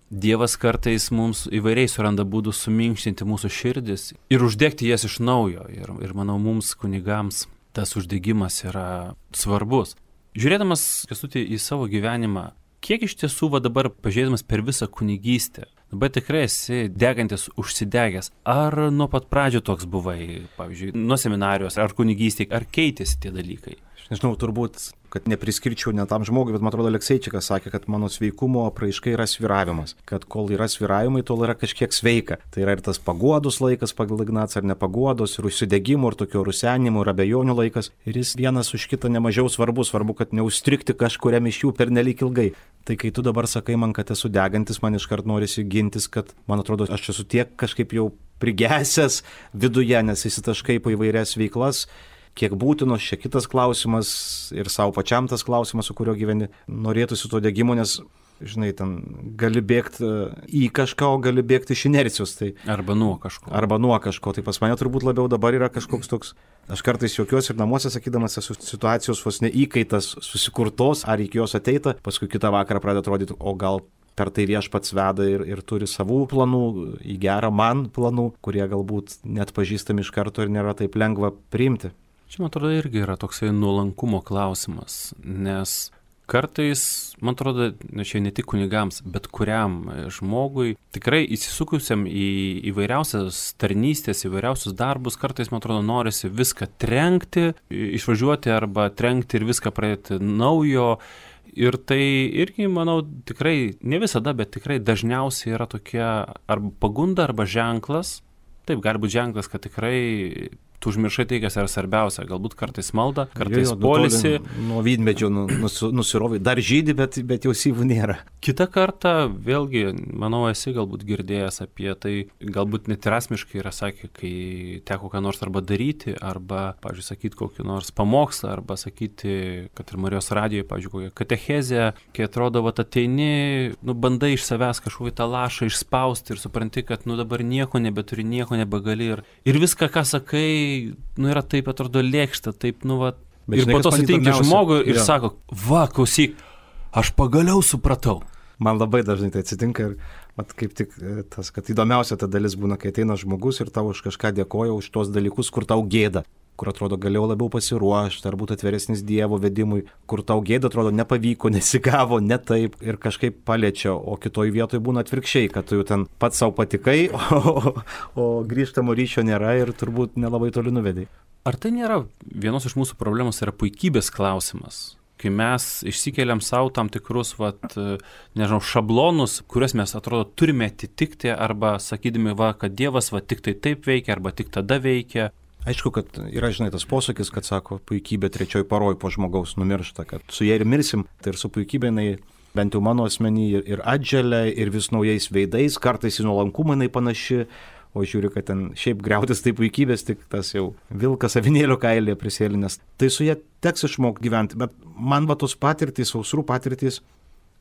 Dievas kartais mums įvairiai suranda būdų suminkštinti mūsų širdis ir uždegti jas iš naujo. Ir manau, mums kunigams tas uždegimas yra svarbus. Žiūrėdamas, Kęstuti, į savo gyvenimą, kiek iš tiesų dabar pažiūrėdamas per visą kunigystę, dabar tikrai esi degantis, užsidegęs. Ar nuo pat pradžių toks buvai, pavyzdžiui, nuo seminarijos, ar kunigystėje, ar keitėsi tie dalykai? Aš nežinau, turbūt, kad nepriskirčiau ne tam žmogui, bet man atrodo, Alekseičikas sakė, kad mano sveikumo apraiška yra sviravimas. Kad kol yra sviravimai, tol yra kažkiek sveika. Tai yra ir tas paguodos laikas pagal Ignacą, ar nepaguodos, ir užsidegimo, ir tokio rusenimo, ir abejonių laikas. Ir jis vienas už kitą nemažiau svarbus, kad neužstrigti kažkuriam iš jų pernelyg ilgai. Tai kai tu dabar sakai man, kad esu degantis, man iškart norisi gintis, kad man atrodo, aš esu tiek kažkaip jau prigesęs viduje, nes įsitaškai po įvairias veiklas. Kiek būtinos, čia kitas klausimas ir savo pačiam tas klausimas, su kuriuo gyveni, norėtųsi to degimo, nes, žinai, ten gali bėgti į kažką, o gali bėgti iš inercijos. Tai, arba nuo kažko. Tai pas mane turbūt labiau dabar yra kažkoks toks, aš kartais juokiuosi ir namuose sakydamas, esu situacijos vos ne įkaitas susikurtos, ar iki jos ateita, paskui kitą vakarą pradeda atrodyti, o gal per tai Viešpats veda ir turi savų planų, į gerą man planų, kurie galbūt net pažįstami iš karto ir nėra taip lengva priimti. Čia, man atrodo, irgi yra toksai nuolankumo klausimas, nes kartais, man atrodo, čia ne tik kunigams, bet kuriam žmogui, tikrai įsisukusiam į įvairiausias tarnystės, įvairiausius darbus, kartais, man atrodo, norisi viską trenkti, išvažiuoti arba trenkti ir viską pradėti naujo. Ir tai irgi, manau, tikrai, ne visada, bet tikrai dažniausiai yra tokia arba pagunda, arba ženklas. Taip, gali būti ženklas, kad tikrai tu užmiršai tai, kas yra svarbiausia. Galbūt kartais malda, kartais polisi. Nuo vynmedžio nusirovai. Dar žydi, bet jau syvų nėra. Kita kartą, vėlgi, manau, esi galbūt girdėjęs apie tai, galbūt net ir asmeniškai yra sakę, kai teko ką nors arba daryti, arba, pavyzdžiui, sakyti kokį nors pamokslą, arba sakyti, kad ir Marijos radijoje, pavyzdžiui, kokią katechezę, kai atrodo, va, ateini, bandai iš savęs kažkokį tą lašą išspausti ir supranti, kad, dabar nieko nebeturi, nieko nebegali. Ir viską, ką sakai, yra taip, atrodo, lėkšta, taip, ir po to sutinki žmogų ir sako, va, klausyk, aš pagaliau supratau. Man labai dažnai tai atsitinka ir kaip tik tas, kad įdomiausia ta dalis būna, kai ateina žmogus ir tau už kažką dėkoja, už tos dalykus, kur tau gėda, kur atrodo galėjau labiau pasiruošti, ar būti atviresnis Dievo vedimui, kur tau gėda, atrodo, nepavyko, nesigavo, ne taip ir kažkaip paliečia, o kitoj vietoje būna atvirkščiai, kad tu jau ten pats savo patikai, o grįžtamo ryšio nėra ir turbūt nelabai toli nuvedai. Ar tai nėra vienos iš mūsų problemos, yra puikybės klausimas? Kai mes išsikeliam savo tam tikrus, šablonus, kuriuos mes, atrodo, turime atitikti, arba sakydami, kad Dievas tik tai taip veikia, arba tik tada veikia. Aišku, kad yra, žinai, tas posakis, kad sako, puikybė trečioj paroj po žmogaus numiršta, kad su jie ir mirsim, tai ir su puikybė, bent jau mano asmenį, ir atželia, ir vis naujais veidais, kartais į nuolankumą panaši, o žiūriu, kad ten šiaip griautis tai puikybės, tik tas jau vilkas avinėlio kailėje prisėlinęs. Tai su jie teks išmokti gyventi, bet man tos patirtys, sausrų patirtys,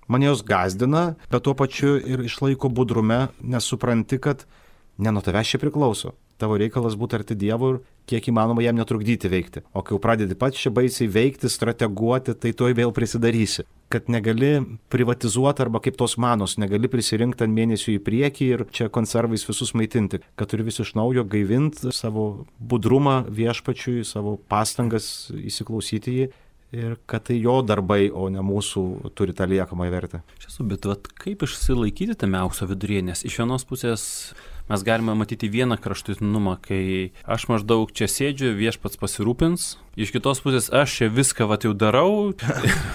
mane jos gazdina, bet tuo pačiu ir išlaiko budrume, nes supranti, kad ne nuo tavęs čia priklauso. Tavo reikalas būti arti Dievo ir kiek įmanoma jam netrukdyti veikti. O kai jau pradedi pats čia baisiai veikti, strateguoti, tai tuoj vėl prisidarysi. Kad negali privatizuoti arba kaip tos manos, negali prisirinkti ant mėnesių į priekį ir čia konservais visus maitinti. Kad turi vis iš naujo gaivinti savo budrumą Viešpačiui, savo pastangas įsiklausyti jį. Ir kad tai jo darbai, o ne mūsų turi tą liekamą vertę. Bet kaip išsilaikyti tame aukso viduryje, nes iš vienos pusės mes galime matyti vieną kraštutinumą, kai aš maždaug čia sėdžiu, Viešpats pasirūpins, iš kitos pusės aš čia viską jau darau,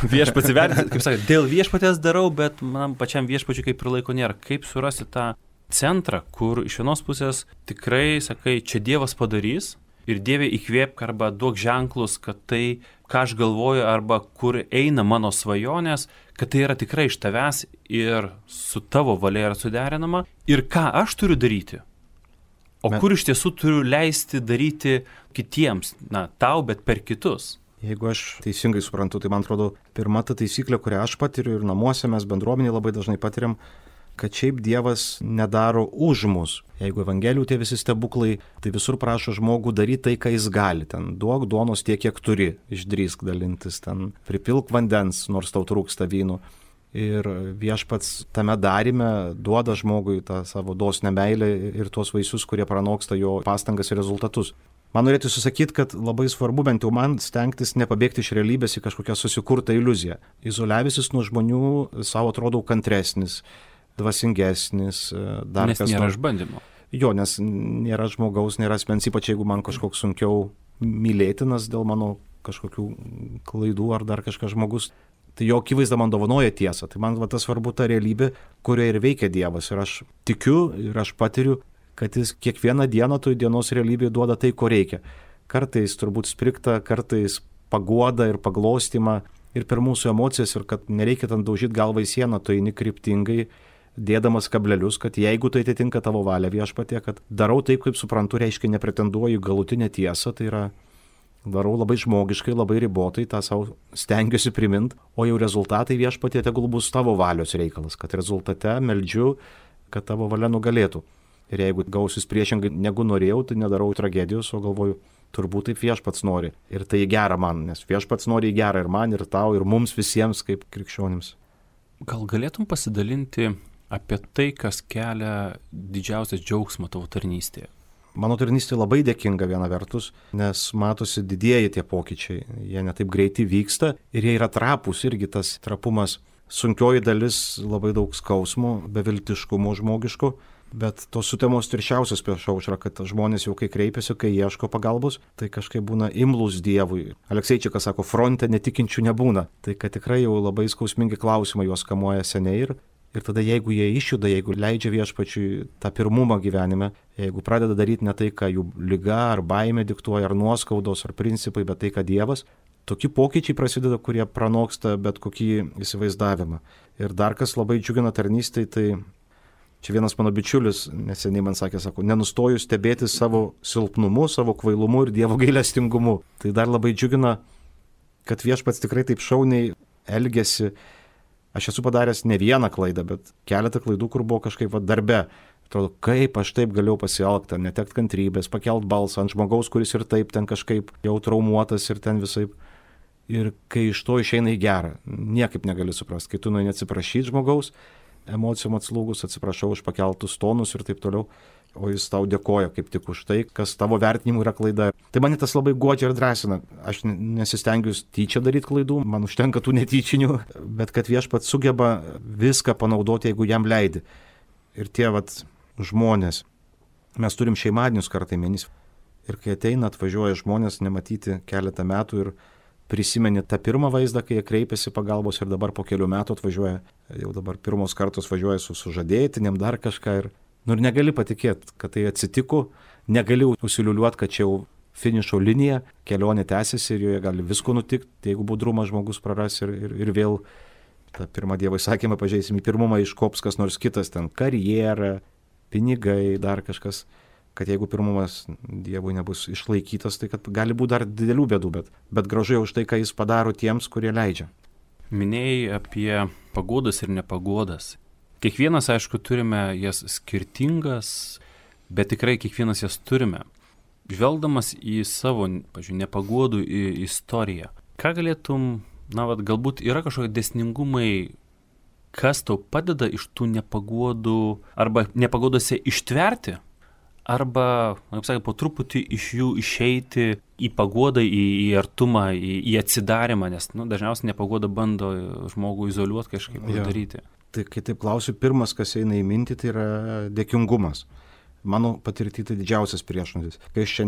Viešpats įvertins, kaip sakė, dėl Viešpatės darau, bet man pačiam Viešpačiui kaip ir laiko nėra. Kaip surasti tą centrą, kur iš vienos pusės tikrai sakai, čia Dievas padarys, ir Dieve įkvėpk arba duok ženklus, kad tai, ką aš galvoju, arba kur eina mano svajonės, kad tai yra tikrai iš tavęs ir su tavo valia yra suderinama. Ir ką aš turiu daryti? O kur iš tiesų turiu leisti daryti kitiems, tau, bet per kitus? Jeigu aš teisingai suprantu, tai man atrodo, pirma ta taisyklė, kurią aš patiriu ir namuose mes bendruomenėje labai dažnai patiriam, kad šiaip Dievas nedaro už mus. Jeigu Evangelijų tie visi stebuklai, tai visur prašo žmogų daryti tai, ką jis gali. Ten duok duonos tiek, kiek turi, išdrįsk dalintis, ten pripilk vandens, nors tau trūksta vyno. Ir Viešpats tame darime duoda žmogui tą savo dosnią meilę ir tuos vaisius, kurie pranoksta jo pastangas ir rezultatus. Man norėtų susakyti, kad labai svarbu bent jau man stengtis nepabėgti iš realybės į kažkokią susikurtą iliuziją. Izoliavęsis nuo žmonių savo atrodo kantresnis, dvasingesnis, dar nes kas nėra nors. išbandymo. Jo, nes nėra žmogaus, nėra asmens, ypač jeigu man kažkoks sunkiau mylėtinas dėl mano kažkokių klaidų ar dar kažkas žmogus. Tai jo akivaizda man dovanoja tiesą. Tai man tas svarbu ta realybė, kurioje ir veikia Dievas. Ir aš tikiu ir aš patiriu, kad jis kiekvieną dieną toj dienos realybėje duoda tai, ko reikia. Kartais turbūt sprigta, kartais paguoda ir paglostymą ir per mūsų emocijas ir kad nereikia ten daužyti galvą į sieną, tu eini kryptingai, dėdamas kablelius, kad jeigu tai atitinka tavo valią Viešpatie, kad darau taip, kaip suprantu, reiškia nepretenduoju galutinę tiesą, tai yra darau labai žmogiškai, labai ribotai, tą savo stengiuosi primint, o jau rezultatai Viešpatie tegul bus tavo valios reikalas, kad rezultate meldžiu, kad tavo valia nugalėtų. Ir jeigu gausis priešingai negu norėjau, tai nedarau tragedijos, o galvoju, turbūt taip Viešpats nori. Ir tai gera man, nes Viešpats nori į gerą ir man, ir tau, ir mums visiems kaip krikščionims. Gal galėtum pasidalinti apie tai, kas kelia didžiausias džiaugsmą tavo tarnystėje? Mano tarnystė labai dėkinga viena vertus, nes matosi didieji tie pokyčiai. Jie netaip greitai vyksta ir jie yra trapūs, irgi tas trapumas. Sunkioji dalis labai daug skausmo, beviltiškumo žmogiško, bet tos sutemos tirščiausios prieš aušrą, kad žmonės jau kai kreipiasi, kai ieško pagalbos, tai kažkaip būna imlūs Dievui. Alekseičikas sako, fronte netikinčių nebūna. Tai kad tikrai jau labai skausmingi klausimai juos kamuoja seniai ir tada jeigu jie išjuda, jeigu leidžia Viešpačiui tą pirmumą gyvenime, jeigu pradeda daryti ne tai, ką jų liga ar baimė diktuoja, ar nuoskaudos, ar principai, bet tai, ką Dievas, tokie pokyčiai prasideda, kurie pranoksta bet kokį įsivaizdavimą. Ir dar kas labai džiugina tarnystėj, tai čia vienas mano bičiulis neseniai man sakė, sako, nenustoju stebėti savo silpnumu, savo kvailumu ir Dievo gailestingumu. Tai dar labai džiugina, kad Viešpats tikrai taip šauniai elgiasi. Aš esu padaręs ne vieną klaidą, bet keletą klaidų, kur buvo kažkaip darbe. Atrodo, kaip aš taip galėjau pasielgti, netekt kantrybės, pakelt balsą ant žmogaus, kuris ir taip ten kažkaip jau traumuotas ir ten visaip. Ir kai iš to išeina į gerą, niekaip negali suprasti. Kai tu nueini atsiprašyti žmogaus, emocijom atslūgus, atsiprašau už pakeltus tonus ir taip toliau, o jis tau dėkoja kaip tik už tai, kas tavo vertinimu yra klaida. Tai mane tas labai guodžia ir drąsina. Aš nesistengiu tyčia daryti klaidų, man užtenka tų netyčinių, bet kad Viešpats sugeba viską panaudoti, jeigu jam leidi. Ir tie žmonės, mes turim šeimadienius kartą į mėnesį. Ir kai ateina, atvažiuoja žmonės nematyti keletą metų ir prisimeni tą pirmą vaizdą, kai jie kreipiasi pagalbos ir dabar po kelių metų atvažiuoja, jau dabar pirmos kartos važiuoja su sužadėtinėm dar kažką ir negali patikėti, kad tai atsitiko, negali užsiliuliuoti, kad čia jau finišo linija, kelionė tęsiasi ir joje gali visko nutikti, jeigu budrumą žmogus praras ir vėl tą pirmą Dievo įsakymą pažeisim, į pirmumą iškops kas nors kitas, ten karjera, pinigai, dar kažkas, kad jeigu pirmumas Dievui nebus išlaikytas, tai kad gali būti dar didelių bėdų, bet gražu jau už tai, ką jis padaro tiems, kurie leidžia. Minėjai apie paguodas ir nepaguodas. Kiekvienas, aišku, turime jas skirtingas, bet tikrai kiekvienas jas turime. Žvelgdamas į savo, pavyzdžiui, nepaguodų istoriją, ką galėtum, galbūt yra kažkokie dėsningumai, kas tau padeda iš tų nepaguodų arba nepaguodose ištverti, arba, kaip sakė, po truputį iš jų išeiti į paguodą, į artumą, į atsidarimą, nes dažniausiai nepaguoda bando žmogų izoliuoti kažkaip daryti. Tai kai taip klausiu, pirmas, kas eina į mintį, tai yra dėkingumas. Mano patirti tai didžiausias priešnuodis. Kai aš čia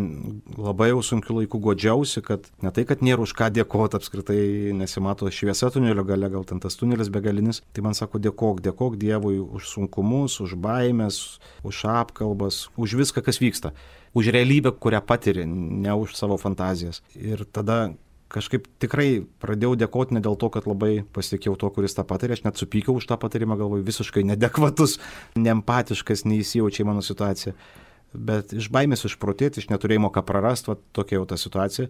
labai jau sunkiu laiku godžiausi, kad ne tai, kad nėra už ką dėkoti, apskritai nesimato šviesa tunelio gale, gal ten tas tunelis begalinis, tai man sako dėkok Dievui už sunkumus, už baimės, už apkalbas, už viską, kas vyksta, už realybę, kurią patiri, ne už savo fantazijas. Ir tada kažkaip tikrai pradėjau dėkoti ne dėl to, kad labai pasitikėjau to, kuris tą patarė, aš net supykiau už tą patarimą, galvoju, visiškai neadekvatus, neempatiškas, neįsijaučia į mano situaciją. Bet iš baimės išprotėti, iš neturėjimo ką prarasti, tokia jau ta situacija.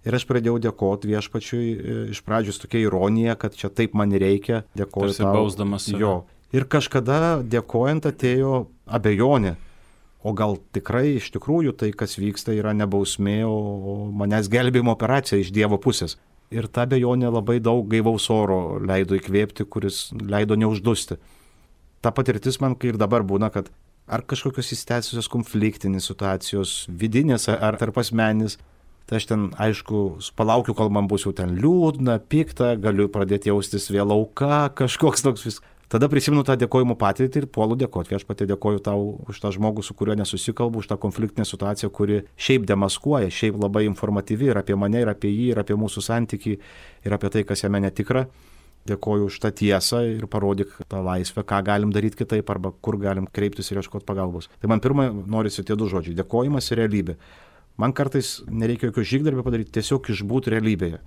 Ir aš pradėjau dėkoti Viešpačiui, iš pradžių tokia ironija, kad čia taip man reikia, dėkoju tau. Bausdamas save. Jo. Ir kažkada dėkojant atėjo abejonė. O gal tikrai iš tikrųjų tai, kas vyksta, yra ne bausmė, o manęs gelbėjimo operacija iš Dievo pusės. Ir ta abejonė labai daug gaivaus oro leido įkvėpti, kuris leido neuždusti. Ta patirtis man kai ir dabar būna, kad ar kažkokios įsitęsusios konfliktinės situacijos, vidinės ar tarp asmenis. Tai aš ten, aišku, palaukiu, kol man bus jau ten liūdna, pikta, galiu pradėti jaustis vėl auka, kažkoks toks vis. Tada prisimenu tą dėkojimo patirtį ir puolu dėkoti. Viešpatie, dėkoju tau už tą žmogų, su kuriuo nesusikalbu, už tą konfliktinę situaciją, kuri šiaip demaskuoja, šiaip labai informatyvi ir apie mane, ir apie jį, ir apie mūsų santykį, ir apie tai, kas jame netikra. Dėkoju už tą tiesą ir parodyk tą laisvę, ką galim daryti kitaip arba kur galim kreiptis ir ieškoti pagalbos. Tai man pirmą norisi tie du žodžiai - dėkojimas ir realybė. Man kartais nereikia jokio žygdarbio padaryti, tiesiog išbūti realybėje.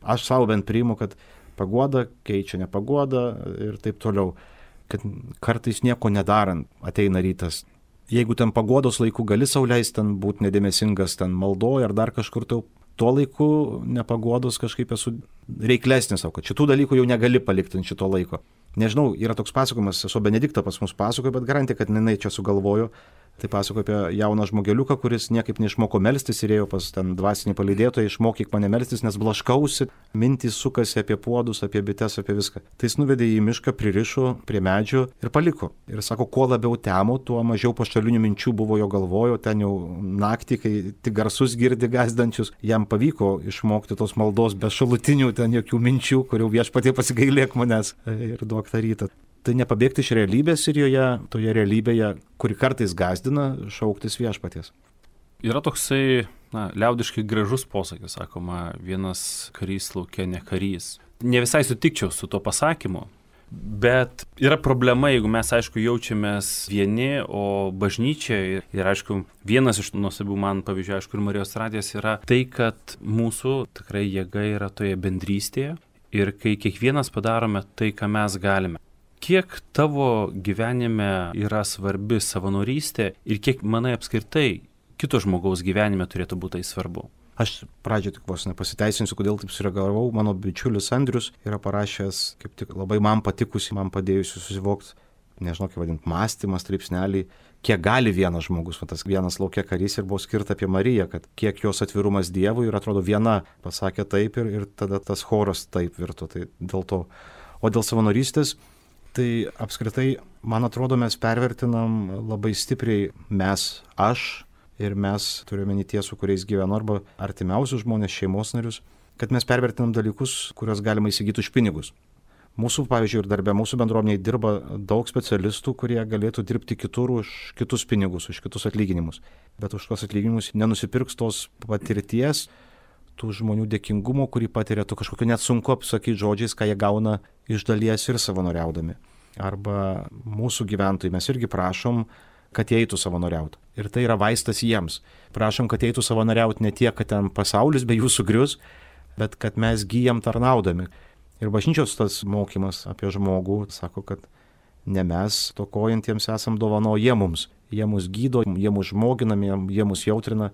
Aš savo bent priimu, kad paguoda keičia nepaguodą ir taip toliau. Kad kartais nieko nedarant ateina rytas. Jeigu ten paguodos laiku gali sau leisti ten būti nedėmesingas, ten maldoja ar dar kažkur, tai tuo laiku nepaguodos kažkaip esu reiklesnis savo, kad šitų dalykų jau negali palikti ant šito laiko. Nežinau, yra toks pasakojimas, esu Benediktą pas mus pasakoja, bet garantija, kad jinai čia sugalvojo. Tai pasakoja apie jauną žmogeliuką, kuris niekaip neišmoko melstis ir ėjo pas ten dvasinį palydėtoją, išmokyk mane melstis, nes blaškausi, mintys sukasi apie puodus, apie bites, apie viską. Tai jis nuvedė į mišką, pririšo prie medžio ir paliko. Ir sako, kuo labiau temo, tuo mažiau pašalinių minčių buvo jo galvojo, ten jau naktį, kai tik garsus girdi gąsdančius, jam pavyko išmokti tos maldos be šalutinių ten jokių minčių, kurių Viešpatie pasigailėk manęs ir duok tą rytą. Tai nepabėgti iš realybės ir joje, toje realybėje, kuri kartais gąsdina, šauktis Viešpaties. Yra toksai, liaudiškai gražus posakis, sakoma, vienas karys lauke ne karys. Ne visai sutikčiau su tuo pasakymu, bet yra problema, jeigu mes, aišku, jaučiamės vieni, o bažnyčia ir, aišku, vienas iš nuostabių man pavyzdžių, aišku, ir Marijos radijas yra tai, kad mūsų tikrai jėga yra toje bendrystėje ir kai kiekvienas padarome tai, ką mes galime. Kiek tavo gyvenime yra svarbi savanorystė ir kiek, manai, apskritai kito žmogaus gyvenime turėtų būti tai svarbu? Aš pradžioje tik vos nepasiteisinsiu, kodėl taip sureagavau. Mano bičiulis Andrius yra parašęs, kaip tik labai man patikusi, man padėjusi susivokti, nežinau, kaip vadinti, mąstymas, straipsnelį, kiek gali vienas žmogus, tas vienas laukia karys ir buvo skirta apie Mariją, kad kiek jos atvirumas Dievui ir atrodo viena pasakė taip ir tada tas choras taip virto, tai dėl to. O dėl savanorystės, tai apskritai, man atrodo, mes pervertinam labai stipriai aš ir mes turime tie, su kuriais gyvenu, arba artimiausius žmonės, šeimos narius, kad mes pervertinam dalykus, kuriuos galima įsigyti už pinigus. Mūsų, pavyzdžiui, ir darbė, mūsų bendruomenėje dirba daug specialistų, kurie galėtų dirbti kitur už kitus pinigus, už kitus atlyginimus. Bet už tos atlyginimus nenusipirks tos patirties, tų žmonių dėkingumo, kurį patiria, tu kažkokio net sunku apsakyti žodžiais, ką jie gauna iš dalies ir savanoriaudami. Arba mūsų gyventojai, mes irgi prašom, kad jie eitų savanoriauti. Ir tai yra vaistas jiems. Prašom, kad eitų savanoriauti ne tiek, kad ten pasaulis be jų sugrius, bet kad mes gyjam tarnaudami. Ir bažnyčios tas mokymas apie žmogų sako, kad ne mes tokojantiems esam dovano, jie mums. Jie mus gydo, jie mus žmoginami, jie mus jautrina.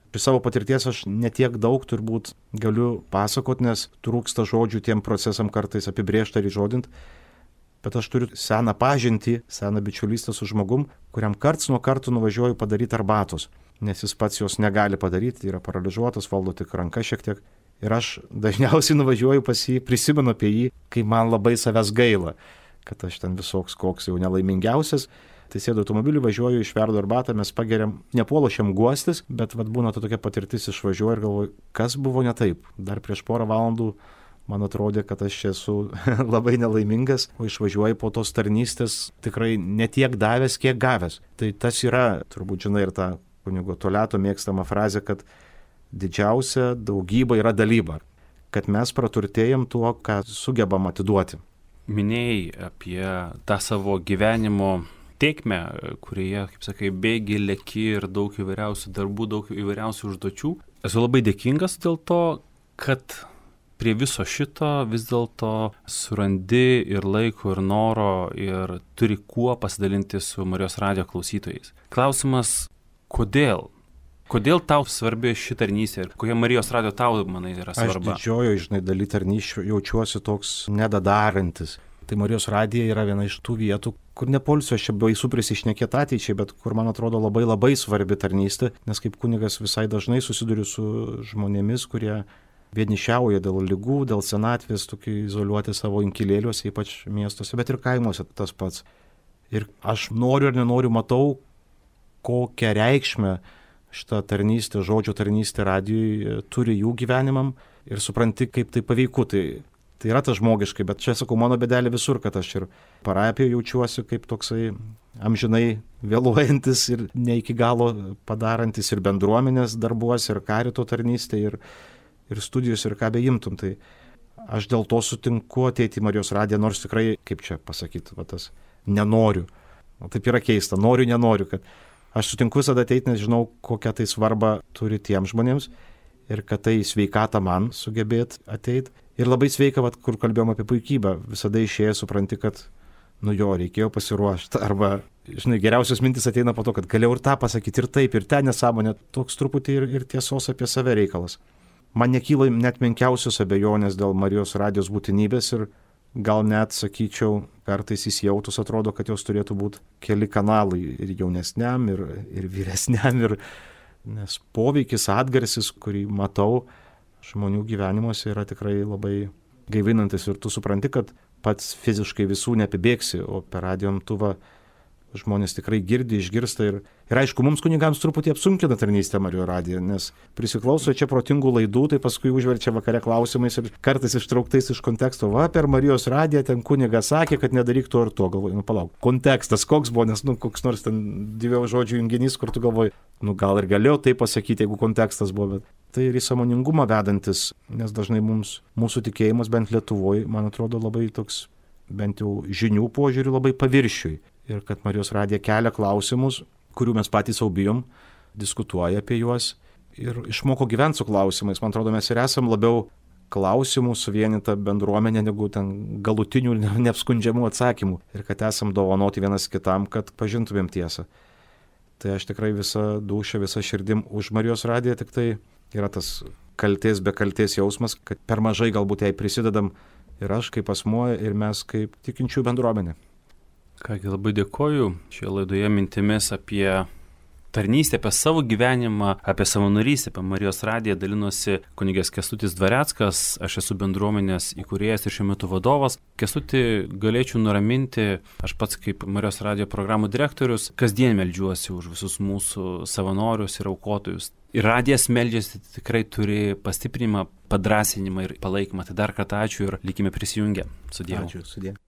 Iš savo patirties aš netiek daug turbūt galiu pasakoti, nes trūksta žodžių tiem procesam kartais apibrėžti ar įžodinti, bet aš turiu seną pažintį, seną bičiulystę su žmogum, kuriam karts nuo karto nuvažiuoju padaryti arbatos, nes jis pats jos negali padaryti, yra paralyžiuotas, valdo tik ranka šiek tiek. Ir aš dažniausiai nuvažiuoju pas jį, prisimenu apie jį, kai man labai savęs gaila, kad aš ten visoks koks jau nelaimingiausias. Tai sėdu automobilį, važiuoju, išverdu arbatą, mes pageriam, nepuološiam guostis, bet būna tokia patirtis, išvažiuoju ir galvoju, kas buvo ne taip. Dar prieš porą valandų man atrodė, kad aš esu labai nelaimingas, o išvažiuoju po tos tarnystės tikrai ne tiek davęs, kiek gavęs. Tai tas yra, turbūt žinai, ir ta kunigo Toleto mėgstama frazė, kad didžiausia daugyba yra dalyba, kad mes praturtėjam tuo, ką sugebam atiduoti. Minėjai apie tą savo gyvenimo tėkmę, kurioje, kaip sakai, bėgi, leki ir daug įvairiausių darbų, daug įvairiausių užduočių. Esu labai dėkingas dėl to, kad prie viso šito vis dėlto surandi ir laiko, ir noro, ir turi kuo pasidalinti su Marijos radijo klausytojais. Klausimas, kodėl? Kodėl tau svarbi ši tarnystė ir kokia Marijos radijo tau, manai, yra svarba? Aš didžiojo, daly tarnysčių jaučiuosi toks nedadarantis. Tai Marijos radija yra viena iš tų vietų, kur nepolsiu aš čia baisu prisišnekėti ateičiai, bet kur man atrodo labai labai svarbi tarnystė, nes kaip kunigas visai dažnai susiduriu su žmonėmis, kurie vienišiauja dėl ligų, dėl senatvės, tokie izoliuoti savo inkilėliuose, ypač miestuose, bet ir kaimuose tas pats. Ir aš noriu ar nenoriu matau, kokią reikšmę šitą tarnystę, žodžio tarnystę radijui turi jų gyvenimam ir supranti, kaip tai paveiku. Tai yra tas žmogiškai, bet čia sakau, mano bėdelė visur, kad aš ir parapijoje jaučiuosi kaip toksai amžinai vėluojantis ir ne iki galo padarantis ir bendruomenės darbuose, ir karito tarnystė, ir studijos, ir ką beimtum. Tai aš dėl to sutinku ateiti į Marijos radiją, nors tikrai, kaip čia pasakyti, tas nenoriu. O taip yra keista, noriu, nenoriu, kad aš sutinku visada ateiti, nes žinau, kokią tai svarbą turi tiems žmonėms ir kad tai sveikata man sugebėti ateiti. Ir labai sveika, kur kalbėjom apie puikybę, visada išėjęs supranti, kad, reikėjo pasiruošti. Arba, geriausios mintis ateina po to, kad galėjau ir tą pasakyti, ir taip, ir ten nesąmonė, toks truputį ir tiesos apie save reikalas. Man nekyla net menkiausios abejonės dėl Marijos radijos būtinybės ir gal net, sakyčiau, kartais įsijautus atrodo, kad jos turėtų būti keli kanalai ir jaunesniam, ir vyresniam, nes poveikis, atgarsis, kurį matau žmonių gyvenimuose, yra tikrai labai gaivinantis ir tu supranti, kad pats fiziškai visų neapibėgsi, o per radijo imtuvą žmonės tikrai girdi, išgirsta ir aišku, mums kunigams truputį apsunkina tarnystę Marijos radiją, nes prisiklauso čia protingų laidų, tai paskui užverčia vakare klausimais ir kartais ištrauktais iš konteksto. Per Marijos radiją ten kunigas sakė, kad nedaryk to ir to. Galvoju, palauk, kontekstas koks buvo, nes koks nors ten dviejų žodžių junginys, kur tu galvoji, gal ir galėjau tai pasakyti, jeigu kontekstas buvo, bet tai ir į sąmoningumą vedantis, nes dažnai mūsų tikėjimas, bent Lietuvoje, man atrodo, labai toks, bent jau žinių požiūrių, labai paviršiui. Ir kad Marijos radija kelia klausimus, kurių mes patys sau bijom, diskutuoja apie juos ir išmoko gyventi su klausimais. Man atrodo, mes ir esam labiau klausimų suvienyta bendruomenė, negu ten galutinių neapskundžiamų atsakymų. Ir kad esam dovanoti vienas kitam, kad pažintumėm tiesą. Tai aš tikrai visą dūšią, visą širdim už Marijos radiją, tik tai yra tas kaltės be kaltės jausmas, kad per mažai galbūt jai prisidedam ir aš kaip asmuo, ir mes kaip tikinčių bendruomenė. Kągi, labai dėkoju šioje laidoje mintimis apie tarnystę, apie savo gyvenimą, apie savanorystę, apie Marijos radiją dalinosi kunigas Kęstutis Dvareckas. Aš esu bendruomenės įkūrėjas ir šiuo metu vadovas. Kęstutį galėčiau nuraminti, aš pats kaip Marijos radijo programų direktorius kasdien meldžiuosi už visus mūsų savanorius ir aukotojus. Ir radijas meldžiasi, tikrai turi pastiprinimą, padrąsinimą ir palaikymą. Tai dar kartą ačiū ir likime prisijungę. Su Dievu. Ačiū, su Dievu.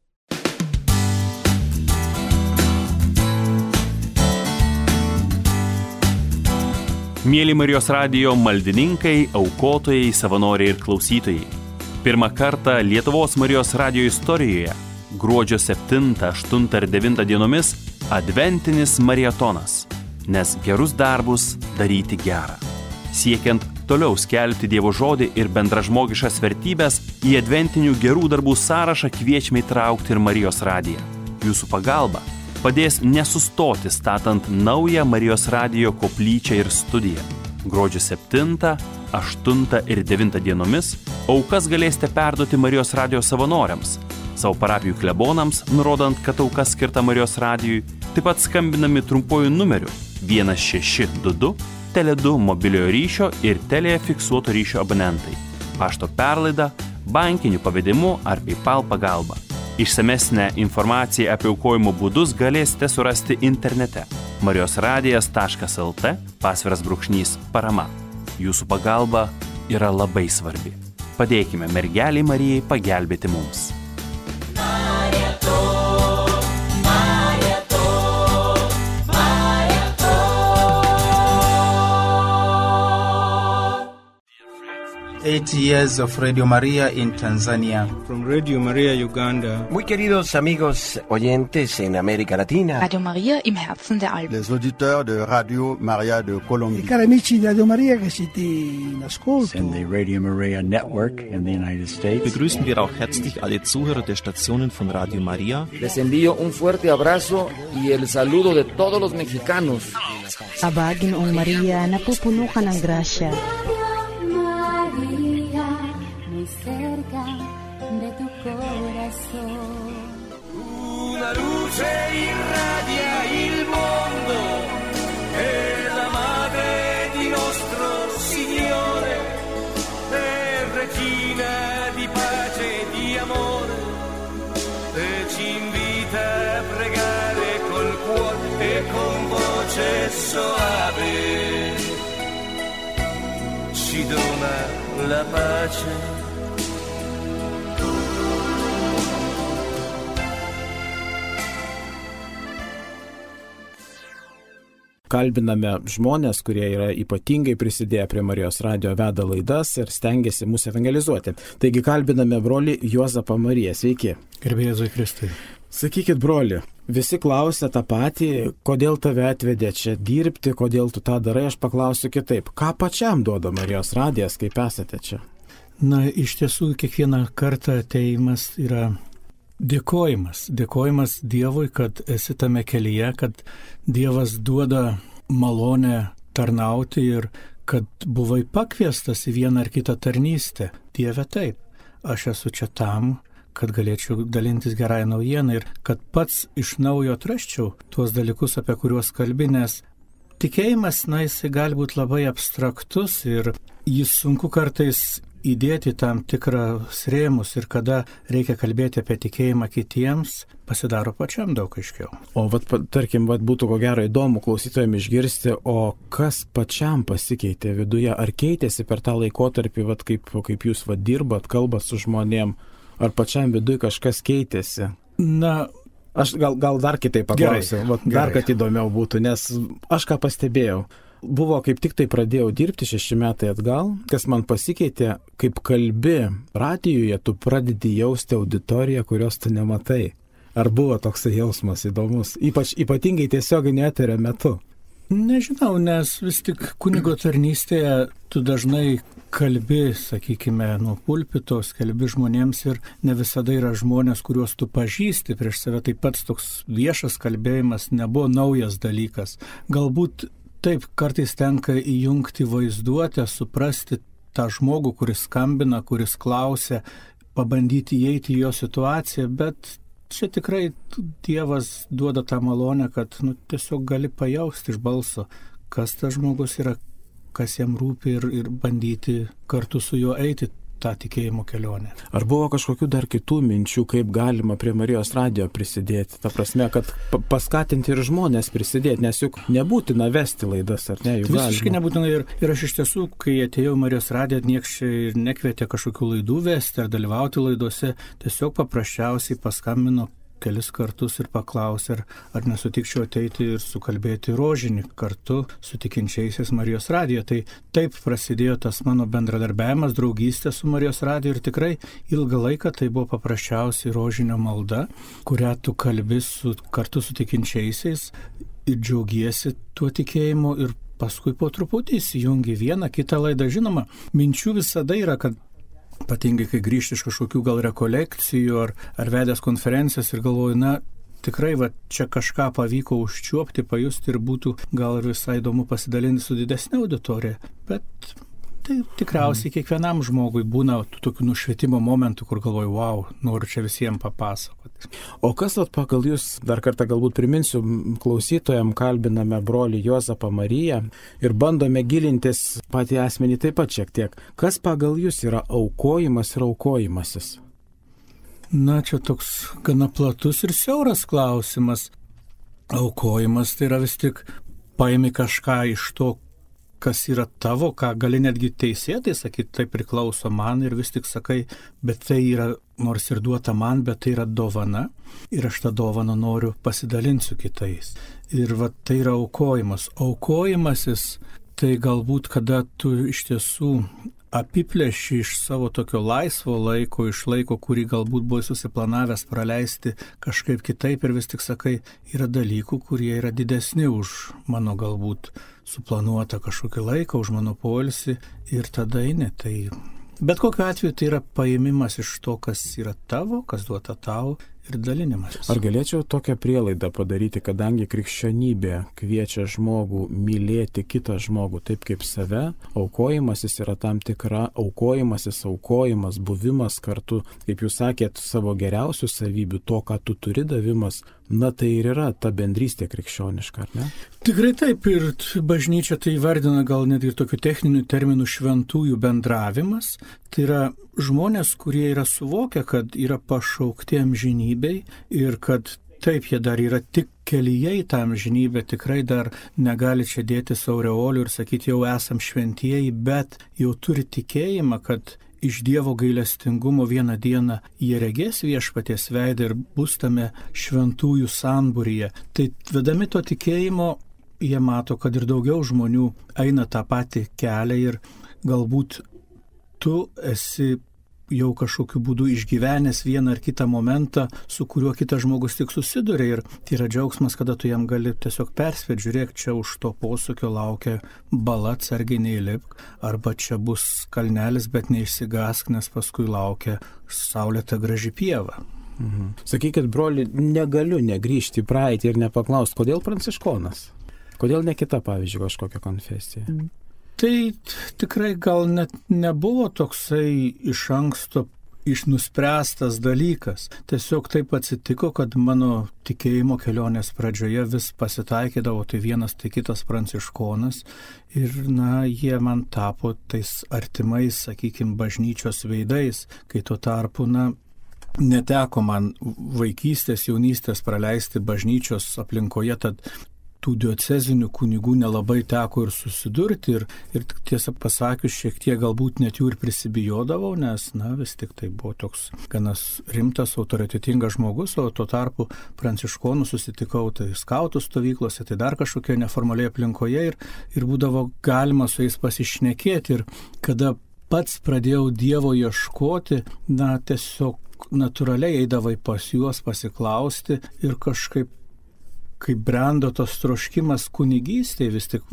Mėly Marijos radijo maldininkai, aukotojai, savanoriai ir klausytojai. Pirmą kartą Lietuvos Marijos radijo istorijoje gruodžio 7, 8 ir 9 dienomis adventinis mariatonas, nes gerus darbus daryti gera. Siekiant toliau skelbti Dievo žodį ir bendražmogiškas vertybės, į adventinių gerų darbų sąrašą kviečiame įtraukti ir Marijos radiją. Jūsų pagalba padės nesustoti statant naują Marijos radijo koplyčią ir studiją. Gruodžio 7, 8 ir 9 dienomis aukas galėsite perduoti Marijos radijo savanoriams, savo parapijų klebonams, nurodant, kad auka skirta Marijos radijui, taip pat skambinami trumpuoju numeriu 1622, Tele2 mobiliojo ryšio ir Telė fiksuoto ryšio abonentai, pašto perlaida, bankiniu pavedimu ar PayPal pagalba. Išsamesnę informaciją apie aukojimo būdus galėsite surasti internete marijosradijas.lt /parama. Jūsų pagalba yra labai svarbi. Padėkime mergelei Marijai pagelbėti mums. Eight years of Radio Maria in Tanzania. From Radio Maria Uganda. Muy queridos amigos oyentes en América Latina. Radio Maria im Herzen der Alpen. Les auditeurs de Radio Maria de Colombie. Cari amici di Radio Maria che siete in ascolto. In the Radio Maria Network in the United States. Begrüßen wir auch herzlich alle Zuhörer der Stationen von Radio Maria. Les envío un fuerte abrazo y el saludo de todos los mexicanos. Abagin ang Maria, napupuno ka ng grasya. Cerca de tu corazón. Una luce irradia il mondo, è la madre di nostro Signore, è regina di pace e di amore, e ci invita a pregare voce soave ci dona la pace. Kalbiname žmonės, kurie yra ypatingai prisidėję prie Marijos radijo, veda laidas ir stengiasi mus evangelizuoti. Taigi kalbiname brolį Juozapą Mariją. Sveiki. Garbė Jėzui Kristui. Sakykit, broli, visi klausia tą patį, kodėl tave atvedė čia dirbti, kodėl tu tą darai, aš paklausiu kitaip. Ką pačiam duoda Marijos radijas, kaip esate čia? Na, iš tiesų, kiekvieną kartą ateimas yra dėkojimas. Dėkojimas Dievui, kad esi tame kelyje, kad Dievas duoda malonę tarnauti ir kad buvai pakviestas į vieną ar kitą tarnystę. Dieve, taip, aš esu čia tam, kad galėčiau dalintis gerąją naujieną ir kad pats iš naujo atrasčiau tuos dalykus, apie kuriuos kalbi, nes tikėjimas, jisai gali būti labai abstraktus ir jis sunku kartais įdėti tam tikrą rėmus ir kada reikia kalbėti apie tikėjimą kitiems, pasidaro pačiam daug aiškiau. O tarkim, būtų ko gero įdomu klausytojams išgirsti, o kas pačiam pasikeitė viduje, ar keitėsi per tą laikotarpį, kaip jūs dirbat, kalbat su žmonėm, ar pačiam viduje kažkas keitėsi? Na, aš gal dar kitaip paklausiu, dar kad įdomiau būtų, nes aš ką pastebėjau. Buvo kaip tik tai pradėjau dirbti 6 metai atgal, kas man pasikeitė, kaip kalbi radijuje, tu pradedi jausti auditoriją, kurios tu nematai. Ar buvo toks jausmas įdomus, ypatingai tiesioginio eterio metu? Nežinau, nes vis tik kunigo tarnystėje tu dažnai kalbi, sakykime, nuo pulpito, kalbi žmonėms ir ne visada yra žmonės, kuriuos tu pažįsti prieš save. Taip pat toks viešas kalbėjimas nebuvo naujas dalykas. Galbūt taip, kartais tenka įjungti vaizduotę, suprasti tą žmogų, kuris skambina, kuris klausia, pabandyti įeiti į jo situaciją, bet čia tikrai Dievas duoda tą malonę, kad tiesiog gali pajausti iš balso, kas tas žmogus yra, kas jam rūpi ir bandyti kartu su juo eiti tą tikėjimo kelionę. Ar buvo kažkokių dar kitų minčių, kaip galima prie Marijos radijo prisidėti? Ta prasme, kad paskatinti ir žmonės prisidėti, nes juk nebūtina vesti laidas, ar ne? Visiškai nebūtina ir aš iš tiesų, kai atėjau Marijos radiją, nieks ir nekvietė kažkokių laidų vesti ar dalyvauti laidose, tiesiog paprasčiausiai paskambino kelis kartus ir paklausė, ar nesutikčiau ateiti ir sukalbėti rožinį kartu su tikinčiaisiais Marijos radijo. Tai taip prasidėjo tas mano bendradarbiavimas, draugystė su Marijos radijo ir tikrai ilgą laiką tai buvo paprasčiausiai rožinio malda, kurią tu kalbi kartu su tikinčiaisiais ir džiaugiesi tuo tikėjimu ir paskui po truputį įsijungi vieną kitą laidą. Žinoma, minčių visada yra, kad ypatingai, kai grįžti iš kažkokių gal rekolekcijų ar vedęs konferencijas ir galvoju, tikrai čia kažką pavyko užčiuopti, pajusti ir būtų gal ir visai įdomu pasidalinti su didesnė auditorija. Bet tai tikriausiai kiekvienam žmogui būna tokių nušvietimo momentų, kur galvoju, wow, noriu čia visiems papasakoti. O kas pagal jūs, dar kartą galbūt priminsiu, klausytojams kalbiname brolį Juozapą Mariją ir bandome gilintis patį asmenį taip pat šiek tiek. Kas pagal jūs yra aukojimas ir aukojimasis? Čia toks gana platus ir siauras klausimas. Aukojimas tai yra vis tik paimi kažką iš to, kas yra tavo, ką gali netgi teisėtai sakyti, tai priklauso man ir vis tik sakai, bet tai yra, nors ir duota man, bet tai yra dovana ir aš tą dovaną noriu pasidalinti su kitais. Ir tai yra aukojimas. Aukojimasis tai galbūt, kada tu iš tiesų apiplėši iš savo tokio laisvo laiko, iš laiko, kurį galbūt buvai susiplanavęs praleisti kažkaip kitaip ir vis tik sakai, yra dalykų, kurie yra didesni už mano galbūt suplanuotą kažkokį laiką, už mano poilsį ir tada eini. Tai bet kokiu atveju tai yra paėmimas iš to, kas yra tavo, kas duota tau ir dalinimas. Ar galėčiau tokią prielaidą padaryti, kadangi krikščionybė kviečia žmogų mylėti kitą žmogų taip kaip save, aukojimasis yra tam tikra aukojimas, buvimas kartu, kaip jūs sakėt, savo geriausių savybių, to, ką tu turi davimas, tai ir yra ta bendrystė krikščioniška, ar ne? Tikrai taip, ir bažnyčia tai vardina gal net ir tokių techninių terminų šventųjų bendravimas. Tai yra žmonės, kurie yra suvokę, kad yra pašaukti amžinybei ir kad taip, jie dar yra tik kelyje į tą amžinybę tikrai dar negali čia dėti aureolių ir sakyti, jau esam šventieji, bet jau turi tikėjimą, kad iš Dievo gailestingumo vieną dieną jie regės viešpaties veidą ir bus tame šventųjų sambūryje. Tai vedami to tikėjimo, jie mato, kad ir daugiau žmonių eina tą patį kelią ir galbūt tu esi jau kažkokiu būdu išgyvenęs vieną ar kitą momentą, su kuriuo kitas žmogus tik susiduria ir tai yra džiaugsmas, kada tu jam gali tiesiog perspėti, žiūrėk, čia už to posūkio laukia bala, atsargiai neįlipk, arba čia bus kalnelis, bet neišsigąsk, nes paskui laukia saulėta graži pieva. Sakykit, broli, negaliu negrįžti į praeitį ir nepaklausti, kodėl pranciškonas? Kodėl ne kita, pavyzdžiui, kažkokia konfesija? Tai tikrai gal net nebuvo toksai iš anksto nuspręstas dalykas. Tiesiog taip atsitiko, kad mano tikėjimo kelionės pradžioje vis pasitaikydavo tai vienas, tai kitas pranciškonas ir, jie man tapo tais artimais, sakykime, bažnyčios veidais, kai tuo tarpu, neteko man vaikystės, jaunystės praleisti bažnyčios aplinkoje, tad tų diocezinių kunigų nelabai teko ir susidurti ir tiesą pasakius, šiek tiek galbūt net jų ir prisibijodavau, nes, vis tik tai buvo toks ganas rimtas, autoritetingas žmogus, o tuo tarpu pranciškonų susitikau tai skautų stovyklose, tai dar kažkokie neformaliai aplinkoje ir būdavo galima su jais pasišnekėti ir kada pats pradėjau Dievo ieškoti, tiesiog natūraliai eidavai pas juos pasiklausti ir kažkaip kai brendo tos troškimas kunigystėje, vis tik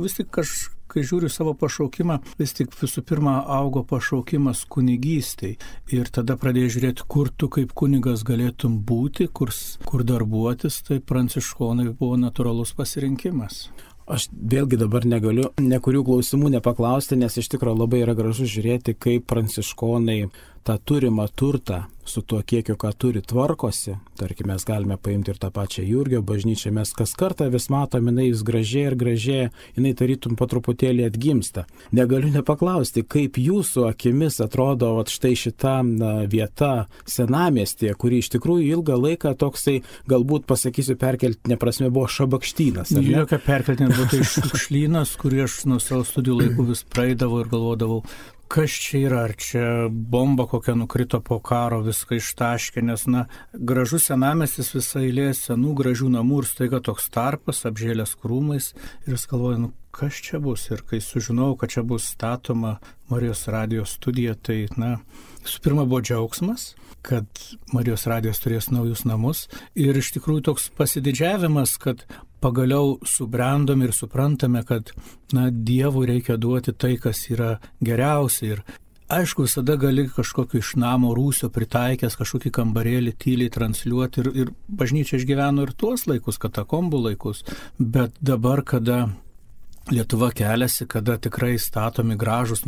kai žiūriu savo pašaukimą, vis tik visų pirma augo pašaukimas kunigystėje. Ir tada pradėjau žiūrėti, kur tu kaip kunigas galėtum būti, kur darbuotis, tai pranciškonai buvo natūralus pasirinkimas. Aš vėlgi dabar negaliu nekurių klausimų nepaklausti, nes iš tikrųjų labai yra gražu žiūrėti, kaip pranciškonai tą turimą turtą su tuo kiekiu, ką turi, tvarkosi. Tarkime, mes galime paimti ir tą pačią Jurgio bažnyčią, mes kas kartą vis matome, jinai vis gražėja ir gražėja, jinai tarytum po truputėlį atgimsta. Negaliu nepaklausti, kaip jūsų akimis atrodo štai šita vieta senamiestyje, kuri iš tikrųjų ilgą laiką toksai, galbūt pasakysiu perkeltinė prasme, buvo šabakštynas. Jokia perkeltinė buvo tai šiukšlynas, kurį aš nuo savo studijų laikų vis praeidavau ir galvodavau, kas čia yra, ar čia bomba kokia nukrito po karo, viską ištaškė, nes, gražus senamiestis, visa eilė senų gražių namų ir staiga toks tarpas, apžėlęs krūmais ir jis galvoja, kas čia bus. Ir kai sužinojau, kad čia bus statoma Marijos radijos studija, tai, visų pirma buvo džiaugsmas, kad Marijos radijos turės naujus namus ir iš tikrųjų toks pasididžiavimas, kad pagaliau subrendom ir suprantame, kad Dievui reikia duoti tai, kas yra geriausia. Ir aišku, visada gali kažkokį iš namo rūsio pritaikęs kažkokį kambarėlį tyliai transliuoti ir bažnyčia išgyveno ir tuos laikus, katakombų laikus. Bet dabar, kada Lietuva keliasi, kada tikrai statomi gražus,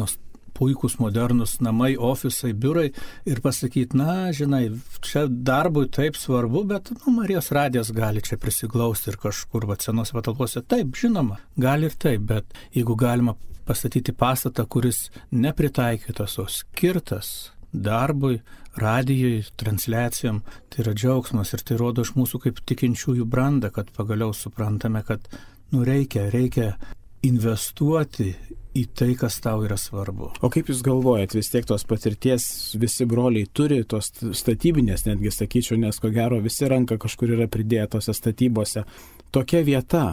puikus modernus namai, ofisai, biurai ir pasakyti, žinai, čia darbui taip svarbu, bet Marijos radijas gali čia prisiglausti ir kažkur senose patalpose. Taip, žinoma, gali ir taip, bet jeigu galima pastatyti pastatą, kuris nepritaikytas, o skirtas darbui, radijui, transliacijom, tai yra džiaugsmas ir tai rodo iš mūsų kaip tikinčiųjų brandą, kad pagaliau suprantame, kad reikia investuoti į tai, kas tau yra svarbu. O kaip jūs galvojat, vis tiek tos patirties visi broliai turi, tos statybinės, netgi sakyčiau, nes ko gero visi ranka kažkur yra pridėję tose statybose. Tokia vieta,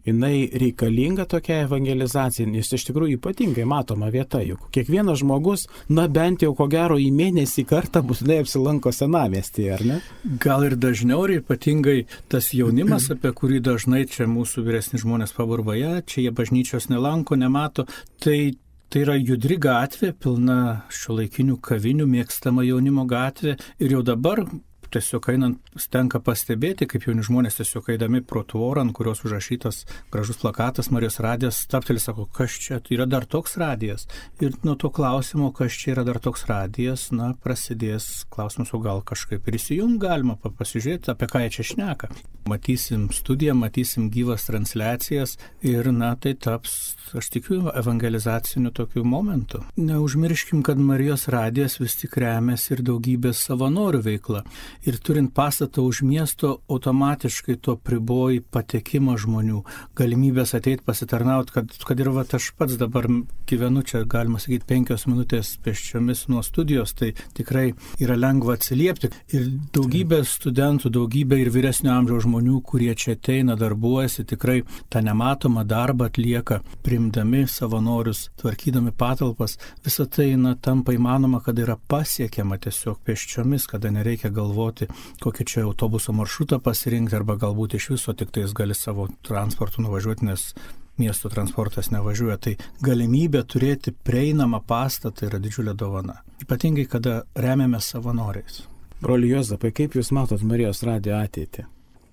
jinai reikalinga tokia evangelizacija, nes iš tikrųjų ypatingai matoma vieta, juk kiekvienas žmogus, bent jau ko gero į mėnesį kartą būtinai apsilanko senamiestyje, ar ne? Gal ir dažniau, ir ypatingai tas jaunimas, apie kurį dažnai čia mūsų vyresni žmonės paburvoja, čia jie bažnyčios nelanko, nemato, tai yra judri gatvė, pilna šiuolaikinių kavinių, mėgstama jaunimo gatvė ir jau dabar tiesiog einant tenka pastebėti, kaip jauni žmonės tiesiog eidami pro tvorą, ant kurios užrašytas gražus plakatas Marijos radijas, stabteli, sako, kas čia, yra dar toks radijas. Ir nuo to klausimo, kas čia yra dar toks radijas, prasidės klausimas, o gal kažkaip ir įsijungt galima pasižiūrėti, apie ką jie čia šneka. Matysim studiją, matysim gyvas transliacijas ir, tai taps, aš tikiu, evangelizaciniu tokiu momentu. Neužmirškim, kad Marijos radijas vis tik remiasi ir daugybės savanorių veikla. ir turint pastatą už miesto, automatiškai to priboji patekimą žmonių, galimybės ateiti pasitarnauti, kad ir aš pats dabar gyvenu čia, galima sakyti, 5 minutės pėsčiomis nuo studijos, tai tikrai yra lengva atsiliepti. Ir daugybė studentų, daugybė ir vyresnio amžiaus žmonių, kurie čia ateina, darbuojasi, tikrai tą nematomą darbą atlieka, priimdami savanorius, tvarkydami patalpas. Visą tai tampa įmanoma, kada yra pasiekiama tiesiog pėsčiomis, kada nereikia galvoti, kokį čia autobuso maršrutą pasirinkti, arba galbūt iš viso tik tais gali savo transportu nuvažiuoti, nes miesto transportas nevažiuoja. Tai galimybė turėti prieinamą pastatą yra didžiulė dovana. Ypatingai, kada remiame savanoriais. Broli Juozapai, kaip Jūs matot Marijos radijo ateitį?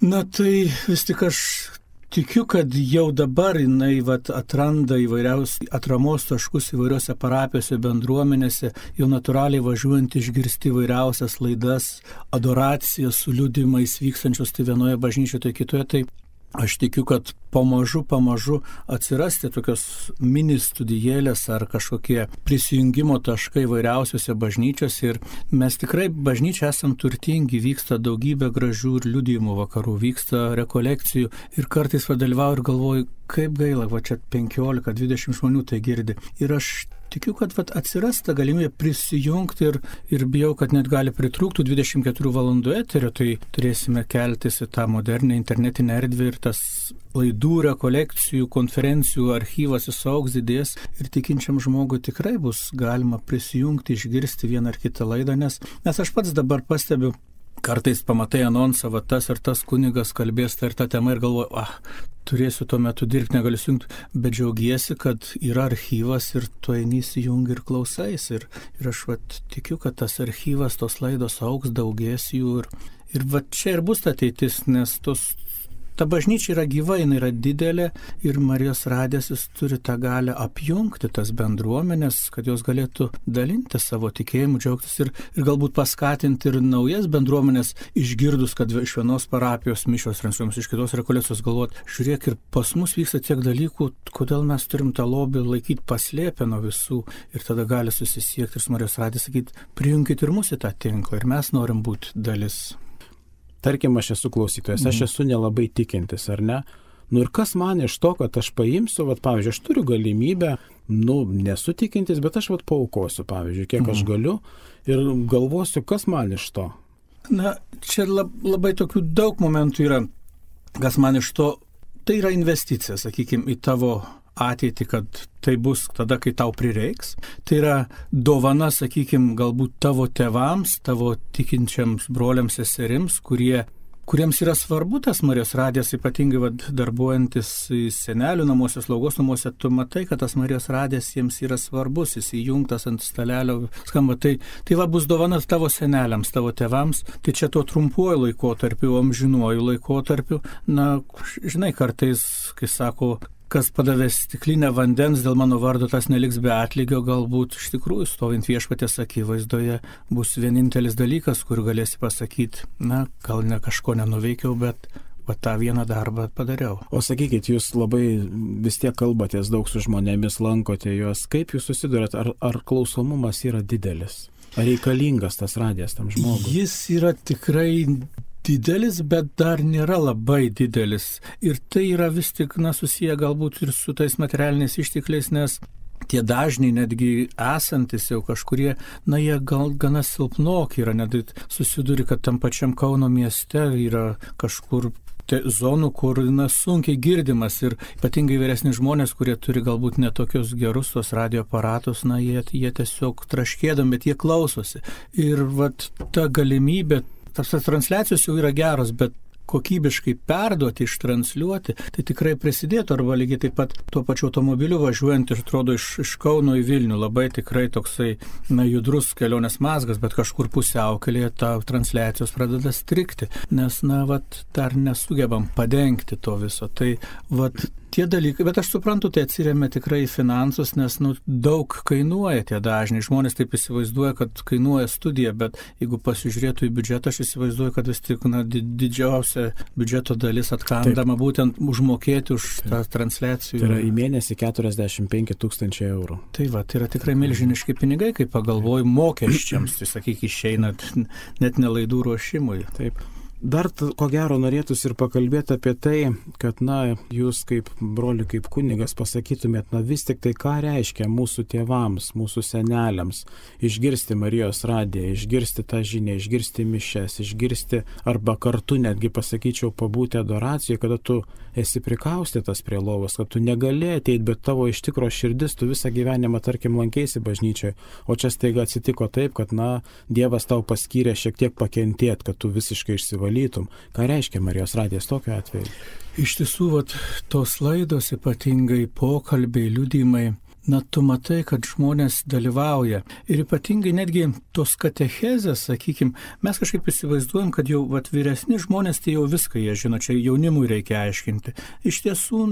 Na tai vis tik aš tikiu, kad jau dabar jinai atranda įvairiausius atramos taškus įvairiose parapijose, bendruomenėse, jau natūraliai važiuojant išgirsti įvairiausias laidas, adoracijas su liudymais vykstančius tai vienoje bažnyčioje, tai kitoje. Tai aš tikiu, kad pamažu atsirasti tokios mini studijėlės ar kažkokie prisijungimo taškai įvairiausiose bažnyčiose. Ir mes tikrai bažnyčia esam turtingi, vyksta daugybė gražių ir liudijimų vakarų, vyksta rekolekcijų ir kartais padalyvauju ir galvoju, kaip gaila, čia 15-20 žmonių tai girdi. Ir aš tikiu, kad atsiras ta galimybė prisijungti ir bijau, kad net gali pritrūkti 24 valandų eterio, tai turėsime keltis į tą modernę internetinę erdvę ir tas laidų, rekolekcijų, konferencijų archyvas įsaugs, didės ir tikinčiam žmogui tikrai bus galima prisijungti, išgirsti vieną ar kitą laidą, nes aš pats dabar pastebiu, kartais pamatai anonsą, tas ir tas kunigas kalbės tą ir tą temą ir galvoju, turėsiu tuo metu dirbti, negaliu sujungti, bet džiaugiesi, kad yra archyvas ir tu eini įsijungi ir klausais. Ir aš tikiu, kad tas archyvas, tos laidos augs, daugės jų ir čia ir bus ta ateitis, nes ta bažnyčia yra gyva, jinai yra didelė ir Marijos radijas jis turi tą galę apjungti tas bendruomenės, kad jos galėtų dalinti savo tikėjimu, džiaugtis ir galbūt paskatinti ir naujas bendruomenės išgirdus, kad iš vienos parapijos mišios transliuojamos, iš kitos rekolekcijos galvot, žiūrėk, ir pas mus vyksta tiek dalykų, kodėl mes turim tą lobį laikyti paslėpę nuo visų ir tada gali susisiekti ir su Marijos radijas sakyti, prijunkit ir mus į tą tinklą ir mes norim būti dalis. Tarkim, aš esu klausytojas, aš esu nelabai tikintis, ar ne? Ir kas man iš to, kad aš paimsiu, pavyzdžiui, aš turiu galimybę, nesu tikintis, bet aš paaukosiu, pavyzdžiui, kiek aš galiu ir galvosiu, kas man iš to. Na, čia labai tokių daug momentų yra, kas man iš to, tai yra investicija, sakykime, į tavo ateitį, kad tai bus tada, kai tau prireiks. Tai yra dovana, sakykime, galbūt tavo tėvams, tavo tikinčiams broliams, seserims, kuriems yra svarbu tas Marijos radijas, ypatingai darbuojantis senelių namuose, slaugos namuose, tu matai, kad tas Marijos radijas jiems yra svarbus, jis įjungtas ant stalelio, skamba. Tai bus dovana tavo seneliams, tavo tėvams, tai čia tuo trumpuoju laikotarpiu, amžinuoju laikotarpiu. Na, žinai, kartais, kai sako, kas padavė stiklinę vandens dėl mano vardo, tas neliks be atlygio, galbūt iš tikrųjų stovint viešpaties akivaizdoje bus vienintelis dalykas, kur galėsi pasakyti, na, gal ne kažko nenuveikiau, bet tą vieną darbą padariau. O sakykit, jūs labai vis tiek kalbatės daug su žmonėmis, lankote juos, kaip jūs susidurėt, ar klausomumas yra didelis? Ar reikalingas tas radijas tam žmogui? Jis yra tikrai didelis, bet dar nėra labai didelis. Ir tai yra vis tik, susiję galbūt ir su tais materialiniais ištekliais, nes tie dažniai netgi esantis jau kažkurie, jie gal gana silpnoki yra, net susiduri, kad tam pačiam Kauno mieste yra kažkur zonų, kur sunkiai girdimas ir ypatingai vyresni žmonės, kurie turi galbūt netokius gerus tos radio aparatus, jie tiesiog traškėdami, bet jie klausosi. Ir ta galimybė, tas transliacijos jau yra geros, bet kokybiškai perduoti, ištransliuoti, tai tikrai prisidėtų, arba lygiai taip pat tuo pačiu automobiliu važiuojant ir atrodo iš Kauno į Vilnių, labai tikrai toksai judrus kelionės mazgas, bet kažkur pusiaukelėje ta transliacijos pradeda strikti, nes dar nesugebam padengti to viso. Tai tie dalykai, bet aš suprantu, tai atsiremia tikrai į finansus, nes daug kainuoja tie dažniai. Žmonės taip įsivaizduoja, kad kainuoja studija, bet jeigu pasižiūrėtų į biudžetą, aš įsivaizduoju, kad vis tik didžiausia biudžeto dalis atkandama būtent užmokėti už tą transliacijų. Tai yra į mėnesį 45 000 eurų. Tai va, tai yra tikrai milžiniški pinigai, kai pagalvoju mokesčiams, tai sakyk, išeina net ne laidų ruošimui. Taip. Dar ko gero norėtųsi ir pakalbėti apie tai, kad, jūs kaip broli, kaip kunigas pasakytumėt, vis tik tai ką reiškia mūsų tėvams, mūsų seneliams išgirsti Marijos radiją, išgirsti tą žinią, išgirsti mišes, išgirsti arba kartu netgi pasakyčiau pabūti adoracijoje, kada tu esi prikaustytas prie lovos, kad tu negali ateiti, bet tavo iš tikro širdis, tu visą gyvenimą, tarkim, lankėsi bažnyčioje, o čia staiga atsitiko taip, kad, Dievas tau paskyrė šiek tiek pakentėti, kad tu visiškai išsivalytum. Ką reiškia Marijos radijas tokiu atveju? Iš tiesų, tos laidos, ypatingai pokalbiai, liudijimai, tu matai, kad žmonės dalyvauja. Ir ypatingai netgi tos katechezės, sakykime, mes kažkaip įsivaizduojam, kad jau vyresni žmonės, tai jau viską jie žino, čia jaunimui reikia aiškinti. Iš tiesų,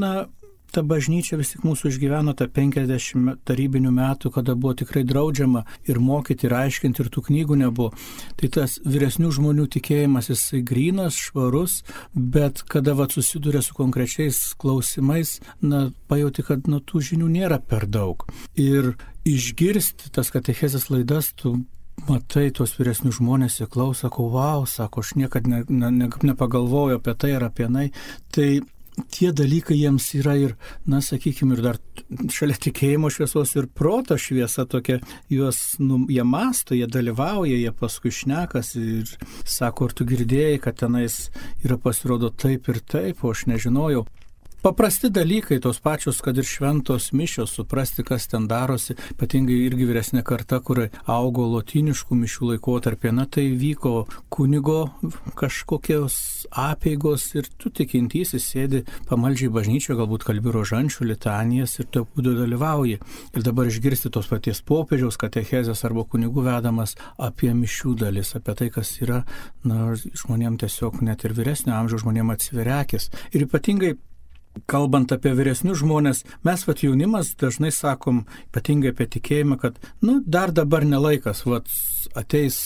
ta bažnyčia vis tik mūsų išgyveno tą 50 tarybinių metų, kada buvo tikrai draudžiama ir mokyti, ir aiškinti, ir tų knygų nebuvo. Tai tas vyresnių žmonių tikėjimas, jisai grynas, švarus, bet kada susiduria su konkrečiais klausimais, pajauti, kad tų žinių nėra per daug. Ir išgirsti tas katechezės laidas, tu matai tuos vyresnius žmonės, jie klauso, sako, sako, aš niekad nepagalvoju apie tai ar apie tai tie dalykai jiems yra ir, sakykime, ir dar šalia tikėjimo šviesos ir proto šviesa tokia, jie masto, jie dalyvauja, jie paskui šnekas ir sako, ar tu girdėjai, kad tenais yra pasirodo taip ir taip, o aš nežinojau. Paprasti dalykai, tos pačios, kad ir šventos mišios, suprasti, kas ten darosi, ypatingai irgi vyresnė karta, kur augo lotyniškų mišių laikotarpį, tai vyko kunigo kažkokios apeigos ir tu tikintysis sėdi pamaldžiai bažnyčioje, galbūt kalbi rožančių, litanijas ir tu būdu dalyvauji. Ir dabar išgirsti tos paties popiežiaus katechezės arba kunigų vedamas apie mišių dalis, apie tai, kas yra, žmonėm tiesiog net ir vyresnio amžiaus žmonėm atsiveria akis. Ir ypatingai kalbant apie vyresnius žmonės, mes jaunimas dažnai sakom, ypatingai apie tikėjimą, kad dar dabar nelaikas, ateis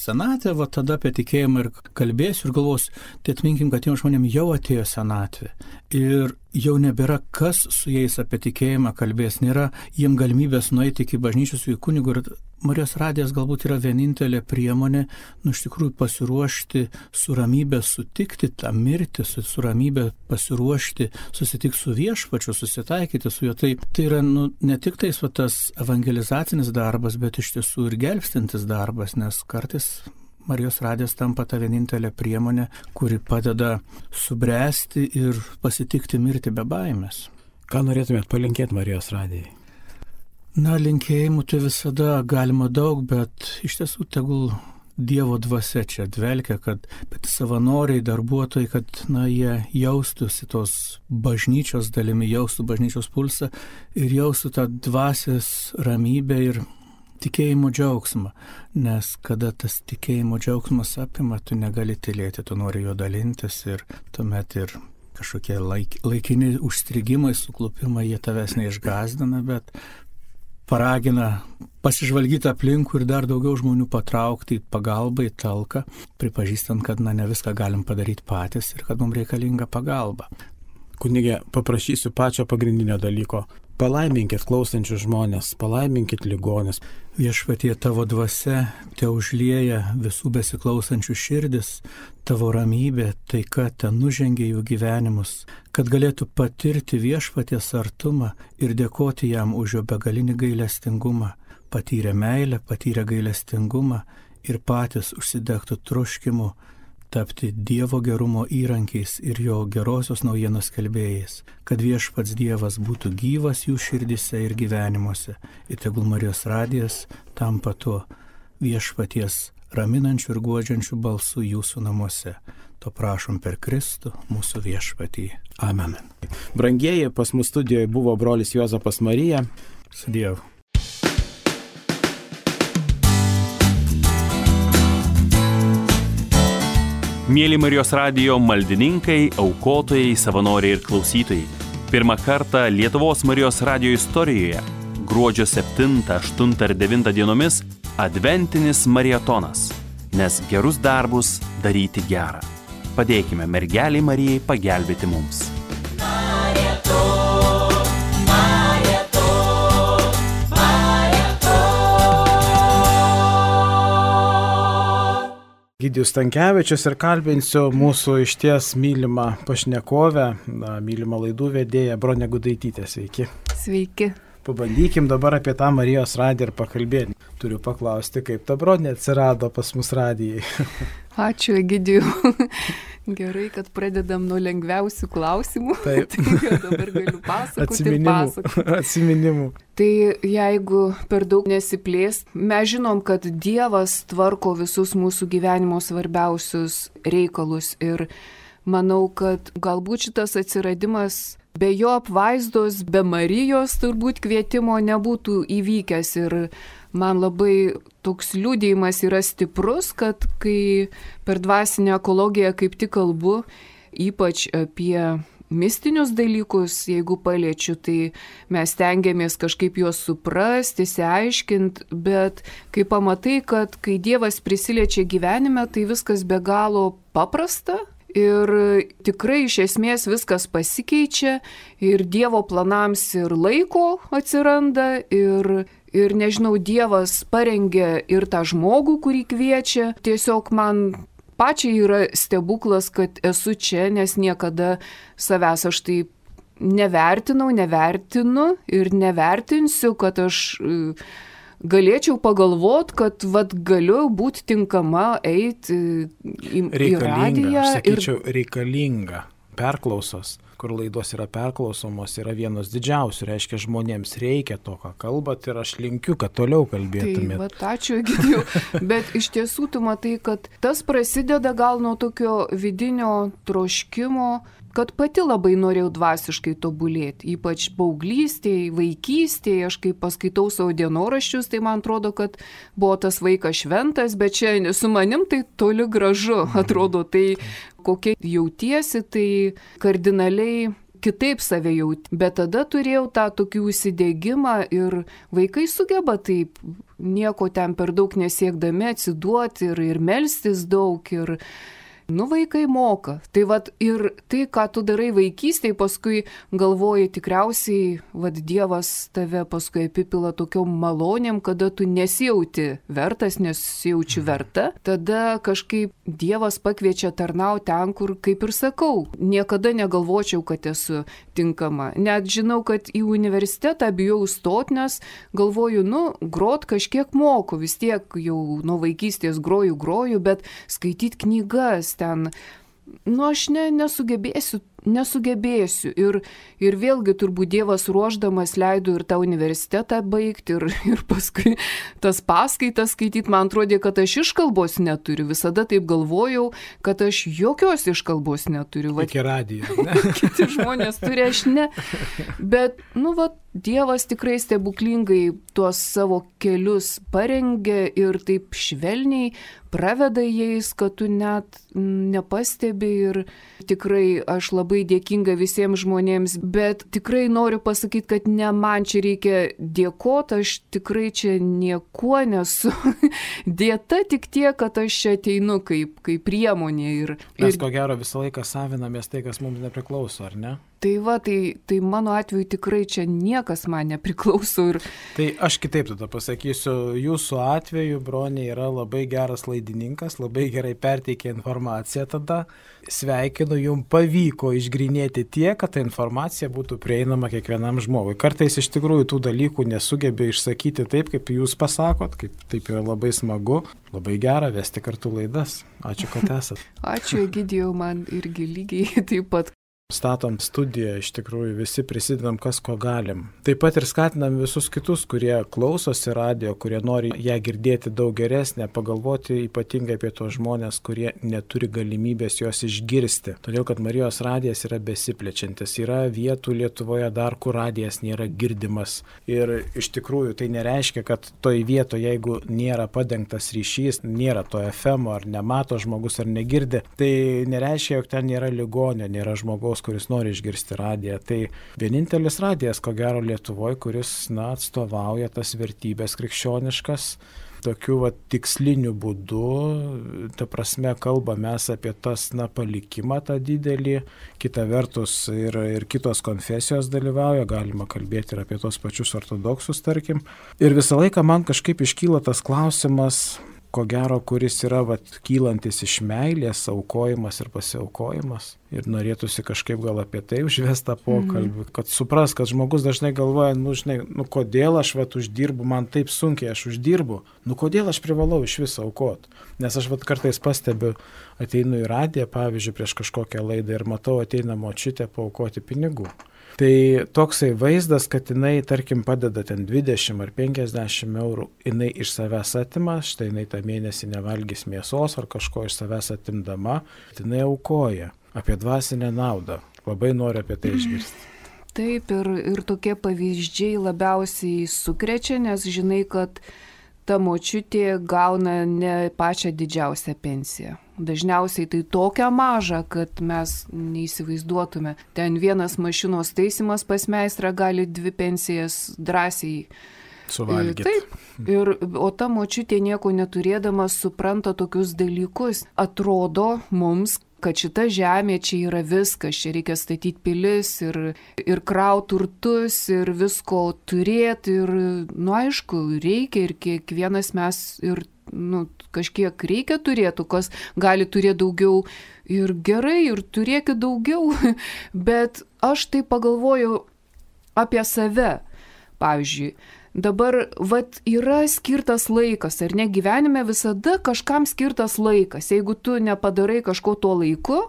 senatvė, tada apie tikėjimą ir kalbėsiu ir galvosiu, tai atminkim, kad tiem žmonėm jau atėjo senatvė. Ir jau nebėra kas su jais apie tikėjimą kalbės, nėra jiem galimybės nueiti iki bažnyčios į kunigų ir Marijos radijas galbūt yra vienintelė priemonė, iš tikrųjų pasiruošti su ramybė sutikti tą mirtį, su ramybė pasiruošti susitikti su viešpačiu, susitaikyti su juo. Tai yra ne tik tas evangelizacinis darbas, bet iš tiesų ir gelbstintis darbas, nes kartais Marijos radijas tampa ta vienintelė priemonė, kuri padeda subręsti ir pasitikti mirtį be baimės. Ką norėtumėt palinkėti Marijos radijai? Linkėjimų tai visada galima daug, bet iš tiesų tegul Dievo dvasia čia dvelkia, kad savanoriai, darbuotojai, kad jie jaustųsi tos bažnyčios dalimi, jaustų bažnyčios pulsą ir jaustų tą dvasios ramybę ir tikėjimo džiaugsmą, nes kada tas tikėjimo džiaugsmas apima, tu negali tylėti, tu nori jo dalintis ir tuomet ir kažkokie laikini užstrigimai, suklupimai, jie tavęs neišgąsdina, bet paragina pasižvalgyti aplinkų ir dar daugiau žmonių patraukti į pagalbą, į talką, pripažįstant, kad ne viską galim padaryti patys ir kad mums reikalinga pagalba. Kunige, paprašysiu pačio pagrindinio dalyko. Palaiminkit klausančius žmonės, palaiminkit ligonis. Viešpatie, tavo dvasia te užlieja visų besiklausančių širdis, tavo ramybė, taika ten nužengia jų gyvenimus, kad galėtų patirti viešpaties artumą ir dėkoti jam už jo begalinį gailestingumą, patyrę meilę, patyrę gailestingumą ir patys užsidegtų troškimu tapti Dievo gerumo įrankiais ir jo gerosios naujienos skelbėjais, kad viešpats Dievas būtų gyvas jų širdise ir gyvenimuose. Ir tegul Marijos radijas tampa tuo viešpaties raminančių ir guodžiančių balsų jūsų namuose. To prašom per Kristų, mūsų viešpatį. Amen. Brangieji, pas mus studijoje buvo brolis Juozapas Marija. Su Dievu. Mėly Marijos radijo maldininkai, aukotojai, savanoriai ir klausytojai. Pirmą kartą Lietuvos Marijos radijo istorijoje gruodžio 7, 8 ir 9 dienomis adventinis marietonas, nes gerus darbus daryti gera. Padėkime mergeliai Marijai pagelbėti mums. Egidijus Stankevičius ir kalbinsiu mūsų išties mylimą pašnekovę, mylimą laidų vedėją Bronę Gudaitytę. Sveiki. Sveiki. Pabandykim dabar apie tą Marijos radiją ir pakalbėti. Turiu paklausti, kaip ta Bronė atsirado pas mus radijai. Ačiū, Egidijų. Gerai, kad pradedam nuo lengviausių klausimų. Taip. Tai dabar galiu pasakoti. Atsiminimų. Tai jeigu per daug nesiplės, mes žinom, kad Dievas tvarko visus mūsų gyvenimo svarbiausius reikalus ir manau, kad galbūt šitas atsiradimas be jo apvaizdos, be Marijos turbūt kvietimo nebūtų įvykęs ir man labai toks liudijimas yra stiprus, kad kai per dvasinę ekologiją kaip tik kalbu, ypač apie mistinius dalykus, jeigu paliečiu, tai mes stengiamės kažkaip juos suprasti, išsiaiškinti, bet kai pamatai, kad kai Dievas prisiliečia gyvenime, tai viskas be galo paprasta. Ir tikrai iš esmės viskas pasikeičia ir Dievo planams ir laiko atsiranda ir nežinau, Dievas parengia ir tą žmogų, kurį kviečia. Tiesiog man pačiai yra stebuklas, kad esu čia, nes niekada savęs aš taip nevertinu ir nevertinsiu, kad aš galėčiau pagalvoti, kad galiu būti tinkama eiti į radiją. Sakyčiau, reikalinga. Perklausos, kur laidos yra perklausomos, yra vienos didžiausių. Reiškia, žmonėms reikia to, ką kalbat ir aš linkiu, kad toliau kalbėtumėt. Tai, ačiū, Egidijau. Bet iš tiesų tu matai, kad tas prasideda gal nuo tokio vidinio troškimo, kad pati labai norėjau dvasiškai tobulėti, ypač paauglystėje, vaikystėje, aš kai paskaitau savo dienoraščius, tai man atrodo, kad buvo tas vaikas šventas, bet čia su manim tai toli gražu, atrodo, tai kokie jautiesi, tai kardinaliai kitaip save jauti. Bet tada turėjau tą tokį užsidegimą ir vaikai sugeba taip nieko ten per daug nesiekdami atsiduoti ir melstis daug ir vaikai moka. Tai ir tai, ką tu darai vaikystėje, paskui galvoji tikriausiai, Dievas tave paskui apipila tokiom malonėm, kada tu nesijauti vertas, nesijaučiu verta. Tada kažkaip Dievas pakviečia tarnauti ten, kur, kaip ir sakau, niekada negalvočiau, kad esu tinkama. Net žinau, kad į universitetą bijau stoti, nes galvoju, grot kažkiek moku, vis tiek jau nuo vaikystės groju, bet skaityti knygas ten, aš nesugebėsiu. Ir vėlgi turbūt Dievas ruošdamas leido ir tą universitetą baigti ir paskui tas paskaitas skaityti. Man atrodė, kad aš iškalbos neturiu. Visada taip galvojau, kad aš jokios iškalbos neturiu. Iki radijo. Kiti žmonės turi, aš ne. Bet, Dievas tikrai stebuklingai tuos savo kelius parengia ir taip švelniai praveda jais, kad tu net nepastebi ir tikrai aš labai dėkinga visiems žmonėms, bet tikrai noriu pasakyti, kad ne man čia reikia dėkoti, aš tikrai čia niekuo nesu dėta, tik tiek, kad aš čia ateinu kaip priemonė. Mes ko gero visą laiką savinamės tai, kas mums nepriklauso, ar ne? Tai mano atveju tikrai čia niekas man nepriklauso. Tai aš kitaip tada pasakysiu, jūsų atveju Bronė yra labai geras laidininkas, labai gerai perteikia informaciją tada. Sveikinu, jums pavyko išgrinėti tiek, kad ta informacija būtų prieinama kiekvienam žmogui. Kartais iš tikrųjų tų dalykų nesugebė išsakyti taip, kaip jūs pasakot, kaip taip yra labai smagu. Labai gera vesti kartu laidas. Ačiū, kad esat. Ačiū, Egidijau, man irgi lygiai taip pat. Statom studiją, iš tikrųjų visi prisidedam, kas ko galim. Taip pat ir skatinam visus kitus, kurie klausosi radijo, kurie nori ją girdėti daug geresnę, pagalvoti ypatingai apie tos žmonės, kurie neturi galimybės jos išgirsti. Todėl, kad Marijos radijas yra besiplečiantis. Yra vietų Lietuvoje dar, kur radijas nėra girdimas. Ir iš tikrųjų tai nereiškia, kad toj vietoje, jeigu nėra padengtas ryšys, nėra to FM ar nemato žmogus ar negirdi, tai nereiškia, jog ten nėra ligonio, nėra žmogaus žmogaus, kuris nori išgirsti radiją. Tai vienintelis radijas, ko gero, Lietuvoje, kuris atstovauja tas vertybės krikščioniškas, tokiu tiksliniu būdu, ta prasme, kalbame apie tas palikimą tą didelį, kita vertus ir kitos konfesijos dalyvauja, galima kalbėti ir apie tos pačius ortodoksus, tarkim. Ir visą laiką man kažkaip iškyla tas klausimas, ko gero, kuris yra kylantis iš meilės, aukojimas ir pasiaukojimas. Ir norėtųsi kažkaip gal apie tai užvestą pokalbį, kad supras, kad žmogus dažnai galvoja, kodėl aš uždirbu, man taip sunkiai aš uždirbu, kodėl aš privalau iš viso aukoti. Nes aš kartais pastebiu, ateinu į radiją, pavyzdžiui, prieš kažkokią laidą ir matau, ateina močiutė paaukoti pinigų. Tai toksai vaizdas, kad jinai, tarkim, padeda ten 20 ar 50 eurų, jinai iš savęs atima, štai jinai tą mėnesį nevalgys mėsos ar kažko iš savęs atimdama, jinai aukoja apie dvasinę naudą. Labai noriu apie tai išgirsti. Taip, ir tokie pavyzdžiai labiausiai sukrečia, nes žinai, kad ta močiutė gauna ne pačią didžiausią pensiją. Dažniausiai tai tokia maža, kad mes neįsivaizduotume. Ten vienas mašinos taisimas pas meistrą gali 2 pensijas drąsiai suvalgyti. Taip. O ta močiutė nieko neturėdama supranta tokius dalykus. Atrodo mums, kad šita žemė čia yra viskas, čia reikia statyti pilis ir kraut turtus ir visko turėti ir, aišku, reikia ir kiekvienas mes ir kažkiek reikia turėtų, kas gali turėti daugiau ir gerai, ir turėkit daugiau, bet aš tai pagalvoju apie save, pavyzdžiui. Dabar, yra skirtas laikas, ar ne, gyvenime visada kažkam skirtas laikas. Jeigu tu nepadarai kažko tuo laiku,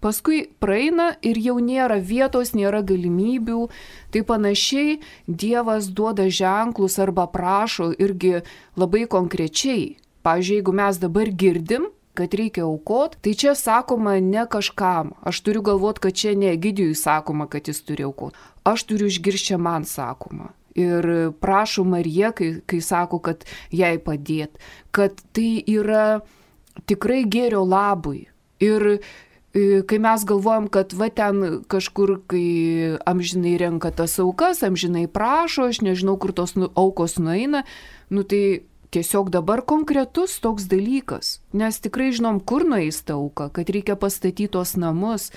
paskui praeina ir jau nėra vietos, nėra galimybių. Tai panašiai Dievas duoda ženklus arba prašo irgi labai konkrečiai. Pavyzdžiui, jeigu mes dabar girdim, kad reikia aukot, tai čia sakoma ne kažkam. Aš turiu galvoti, kad čia ne Egidijui sakoma, kad jis turi aukot. Aš turiu išgirsti, čia man sakoma. Ir prašo Marija, kai sako, kad jai padėt, kad tai yra tikrai gėrio labui. Ir kai mes galvojam, kad ten kažkur, kai amžinai renka tas aukas, amžinai prašo, aš nežinau, kur tos aukos nueina, tai tiesiog dabar konkretus toks dalykas, nes tikrai žinom, kur nueis ta auka, kad reikia pastatyti tos namus,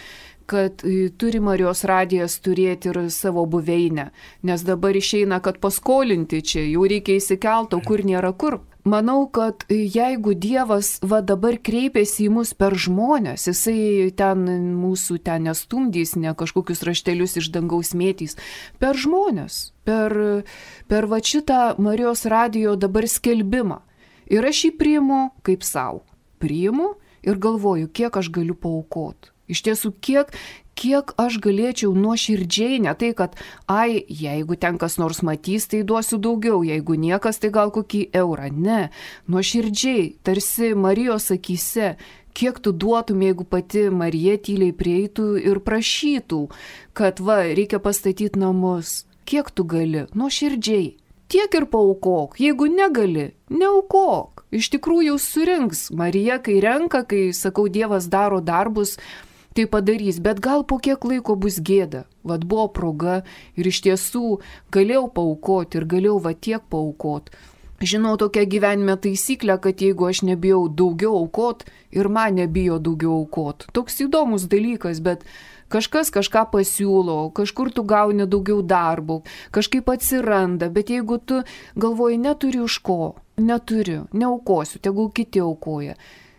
kad turi Marijos radijas turėti ir savo buveinę, nes dabar išeina, kad paskolinti čia, jau reikia įsikelti, kur nėra kur. Manau, kad jeigu Dievas dabar kreipiasi į mus per žmonės, jisai ten mūsų ten nestumdys, ne kažkokius raštelius iš dangaus mėtys, per žmonės, per šitą Marijos radijo dabar skelbimą. Ir aš jį priimu kaip savo. Priimu ir galvoju, kiek aš galiu paaukoti. Iš tiesų, kiek aš galėčiau nuoširdžiai, ne tai, kad, jeigu ten kas nors matys, tai duosiu daugiau, jeigu niekas, tai gal kokį eurą. Ne, nuoširdžiai, tarsi Marijos akyse, kiek tu duotum, jeigu pati Marija tyliai prieitų ir prašytų, kad reikia pastatyti namus. Kiek tu gali? Nuoširdžiai. Tiek ir paaukok, jeigu negali, neaukok. Iš tikrųjų surinks. Marija, kai renka, kai, sakau, Dievas daro darbus, tai padarys, bet gal po kiek laiko bus gėda. Buvo proga ir iš tiesų galėjau paaukoti ir galėjau tiek paaukoti. Žinau tokią gyvenime taisyklę, kad jeigu aš nebijau daugiau aukoti ir man nebijo daugiau aukoti. Toks įdomus dalykas, bet kažkas kažką pasiūlo, kažkur tu gauni daugiau darbų, kažkaip atsiranda, bet jeigu tu galvoji, neturiu iš ko, neturiu, neaukosiu, tegul kiti aukoja.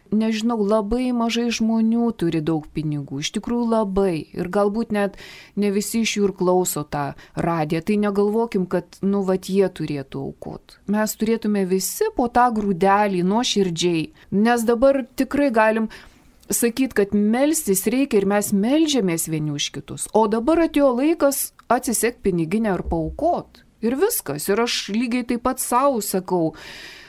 Nežinau, labai mažai žmonių turi daug pinigų, iš tikrųjų labai. Ir galbūt net ne visi iš jų ir klauso tą radiją. Tai negalvokim, kad, jie turėtų aukoti. Mes turėtume visi po tą grūdelį nuoširdžiai. Nes dabar tikrai galim sakyti, kad melstis reikia ir mes meldžiamės vieni už kitus. O dabar atėjo laikas atsisekt piniginę ir paaukoti. Ir viskas. Ir aš lygiai taip pat savo sakau,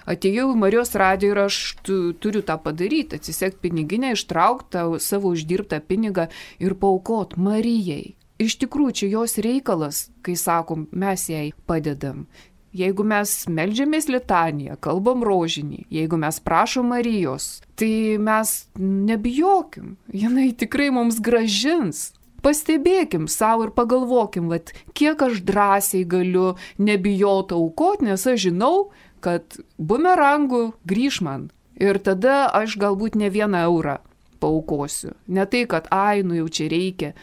atėjau į Marijos radiją ir aš turiu tą padaryti, atsisekt piniginę, ištraukti savo uždirbtą pinigą ir paaukot Marijai. Iš tikrųjų, čia jos reikalas, kai sakom, mes jai padedam. Jeigu mes meldžiamės litaniją, kalbam rožinį, jeigu mes prašom Marijos, tai mes nebijokim, jinai tikrai mums grąžins. Pastebėkim savo ir pagalvokim, vat, kiek aš drąsiai galiu nebijoti aukoti, nes aš žinau, kad bumerangų grįž man. Ir tada aš galbūt ne 1 eurą paaukosiu. Ne tai, kad jau čia reikia.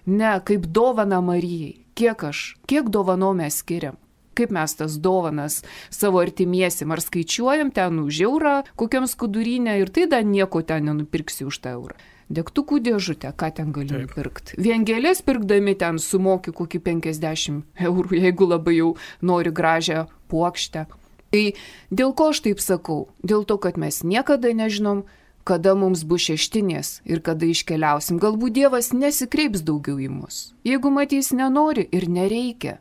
Ne, kaip dovana Marijai. Kiek dovanų mes skiriam? Kaip mes tas dovanas savo artimiesim? Ar skaičiuojam ten už eurą kokiam skudurinę ir tai dar nieko ten nenupirksi už tą eurą? Degtukų dėžutę, ką ten gali nupirkti. Vien gėlės pirkdami ten sumoki kokį 50 eurų, jeigu labai jau nori gražią puokštę. Tai dėl ko aš taip sakau? Dėl to, kad mes niekada nežinom, kada mums bus šeštinės ir kada iškeliausim. Galbūt Dievas nesikreips daugiau į mus. Jeigu matys nenori ir nereikia.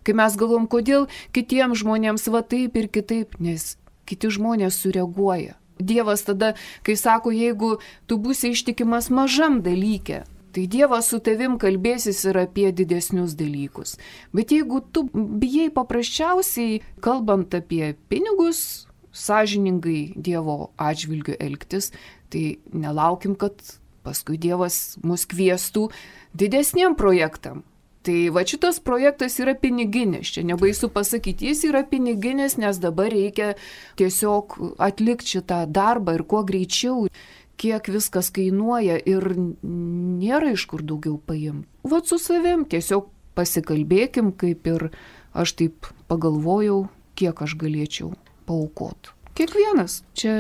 Kai mes galvom, kodėl kitiems žmonėms va taip ir kitaip, nes kiti žmonės sureaguoja. Dievas tada, kai sako, jeigu tu būsi ištikimas mažam dalyke, tai Dievas su tavim kalbėsis ir apie didesnius dalykus. Bet jeigu tu bijai paprasčiausiai, kalbant apie pinigus, sąžiningai Dievo atžvilgiu elgtis, tai nelaukim, kad paskui Dievas mus kviestų didesniem projektam. Tai va šitas projektas yra piniginis, čia nebaisu pasakyti, jis yra piniginis, nes dabar reikia tiesiog atlikti šitą darbą ir kuo greičiau, kiek viskas kainuoja ir nėra iš kur daugiau paimti. Va su savim tiesiog pasikalbėkim, kaip ir aš taip pagalvojau, kiek aš galėčiau paaukoti. Kiekvienas. Čia...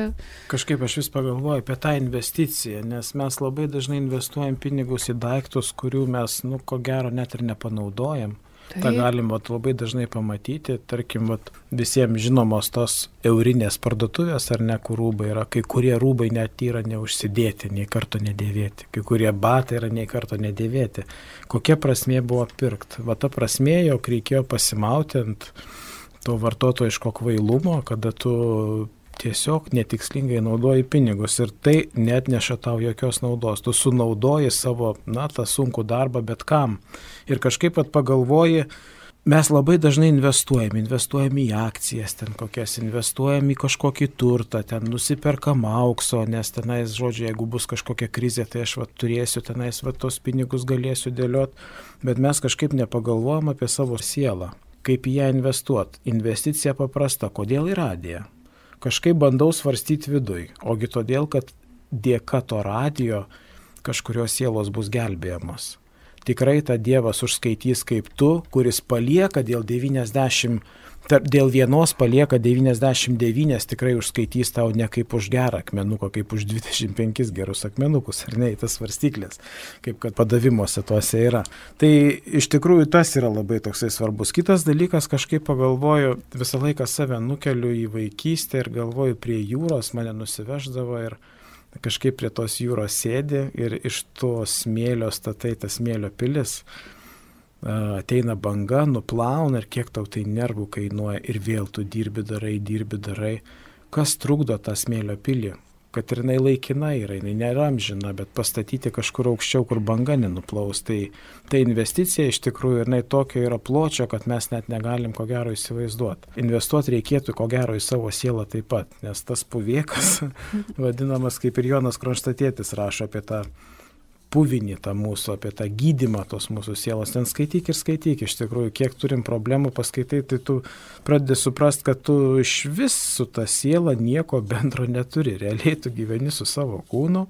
Kažkaip aš vis pagalvoju apie tą investiciją, nes mes labai dažnai investuojam pinigus į daiktus, kurių mes, ko gero, net ir nepanaudojam. Ta galim labai dažnai pamatyti, tarkim, visiems žinomos tos eurinės parduotuvės ar ne, kur rūbai yra, kai kurie rūbai net yra neužsidėti, nei karto nedėvėti, kai kurie batai yra nei karto nedėvėti. Kokia prasmė buvo pirkti? Va ta prasmė, jog reikėjo pasimauti ant to vartotojiško kvailumo, kada tu tiesiog netikslingai naudoji pinigus ir tai net neša tau jokios naudos. Tu sunaudoji savo, tą sunkų darbą bet kam. Ir kažkaip pagalvoji, mes labai dažnai investuojam į akcijas, ten kokias, investuojam į kažkokį turtą, ten nusiperkam aukso, nes tenais, žodžiu, jeigu bus kažkokia krizė, tai aš turėsiu tenais tos pinigus galėsiu dėliot, bet mes kažkaip nepagalvojam apie savo sielą. Kaip į ją investuoti. Investicija paprasta. Kodėl į radiją? Kažkaip bandau svarstyti viduj. Ogi todėl, kad dėka to radijo kažkurios sielos bus gelbėjamos. Tikrai tą Dievas užskaitys kaip tu, kuris palieka dėl vienos palieka 99, tikrai užskaitys tau ne kaip už gerą akmenuką, kaip už 25 gerus akmenukus, ar ne, į tas svarstyklės, kaip kad padavimuose tuose yra. Tai iš tikrųjų tas yra labai toksai svarbus. Kitas dalykas, kažkaip pagalvoju, visą laiką save nukeliu į vaikystę ir galvoju, prie jūros mane nusiveždavo ir kažkaip prie tos jūros sėdi ir iš to smėlio statai tas smėlio pilis. Ateina banga, nuplauna ir kiek tau tai nervų kainuoja ir vėl tu dirbi darai. Kas trukdo tą smėlio pilį? Kad ir jinai laikina yra, jinai nėra amžina, bet pastatyti kažkur aukščiau, kur banga nenuplaus. Tai investicija iš tikrųjų ir tokio yra pločio, kad mes net negalim ko gero įsivaizduoti. Investuoti reikėtų ko gero į savo sielą taip pat, nes tas puvėkas, vadinamas kaip ir Jonas Kronštatietis rašo apie tą puvinį tą mūsų, apie tą gydymą tos mūsų sielos. Ten skaityk, iš tikrųjų, kiek turim problemų paskaitai, tai tu pradedi suprast, kad tu iš vis su ta siela nieko bendro neturi. Realiai tu gyveni su savo kūnu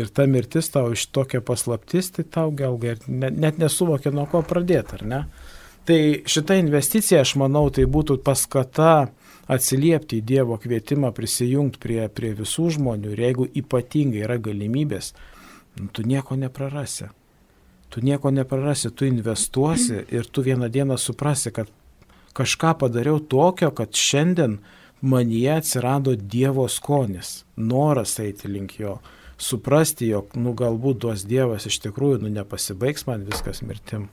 ir ta mirtis tau iš tokia paslaptis, tai tau gal net nesuvokia nuo ko pradėti, ar ne? Tai šita investicija, aš manau, tai būtų paskata atsiliepti į Dievo kvietimą, prisijungti prie visų žmonių ir jeigu ypatingai yra galimybės, tu nieko neprarasi. Tu investuosi ir tu vieną dieną suprasi, kad kažką padariau tokio, kad šiandien manyje atsirado Dievo skonis, noras eiti link jo, suprasti, jog galbūt duos Dievas iš tikrųjų, nepasibaigs man viskas mirtim.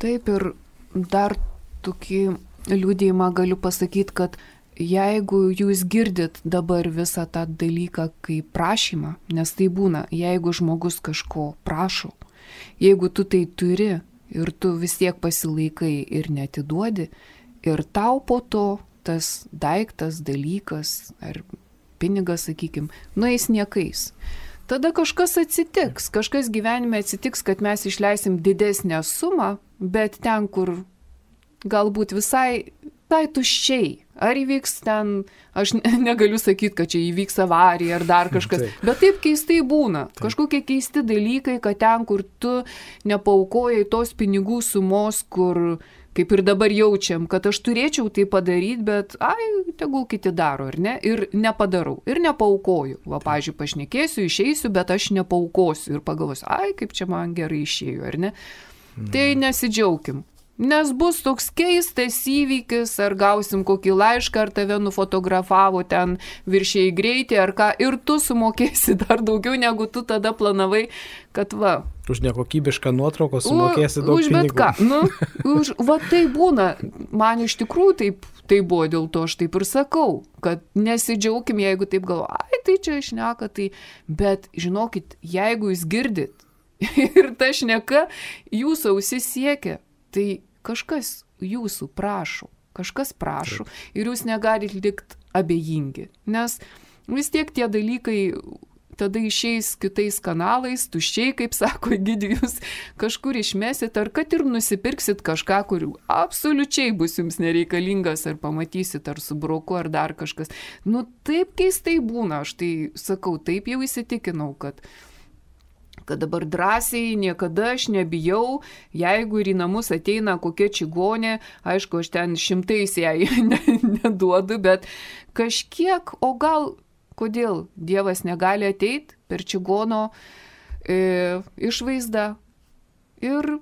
Taip ir dar tokį liudijimą galiu pasakyti, kad jeigu jūs girdit dabar visą tą dalyką kaip prašymą, nes tai būna, jeigu žmogus kažko prašo, jeigu tu tai turi ir tu vis tiek pasilaikai ir neatiduodi, ir tau po to tas daiktas, dalykas ar pinigas, sakykime, nueis niekais. tada kažkas atsitiks. Kažkas gyvenime atsitiks, kad mes išleisim didesnę sumą, bet ten, kur galbūt visai tuščiai. Ar įvyks ten, aš negaliu sakyti, kad čia įvyks avarija ar dar kažkas, bet taip keistai būna. Kažkokie keisti dalykai, kad ten, kur tu nepaukojai tos pinigų sumos, kur kaip ir dabar jaučiam, kad aš turėčiau tai padaryti, bet tegul kiti daro, ar ne? Ir nepadarau, ir nepaukoju. Va, pavyzdžiui, pašnekėsiu, išeisiu, bet aš nepaukosiu ir pagalvosiu, kaip čia man gerai išėjo, ar ne? Tai nesidžiaugim. Nes bus toks keistas įvykis, ar gausim kokį laišką, ar tave nufotografavo ten viršiai greitį, ar ką, ir tu sumokėsi dar daugiau, negu tu tada planavai, kad va. Už nekokybišką nuotrauką sumokėsi daug pinigų. Už bet ką. Va tai būna. Man iš tikrųjų tai buvo, dėl to aš taip ir sakau, kad nesidžiaugim, jeigu taip galvo, tai čia šneka, tai. Bet žinokit, jeigu jūs girdit ir ta šneka jūsų ausis siekia, tai kažkas jūsų prašo, ir jūs negalit likti abejingi, nes vis tiek tie dalykai tada išeis kitais kanalais, tuščiai, kaip sako Egidijus, kažkur išmesit, ar kad ir nusipirksit kažką, kur absoliučiai bus jums nereikalingas, ar pamatysit, ar su broku, ar dar kažkas. Taip keistai būna, aš tai sakau, taip jau įsitikinau, kad dabar drąsiai, niekada aš nebijau, jeigu ir į namus ateina kokia čigonė, aišku, aš ten 100 jai neduodu, bet kažkiek, o gal, kodėl Dievas negali ateiti per čigono išvaizdą ir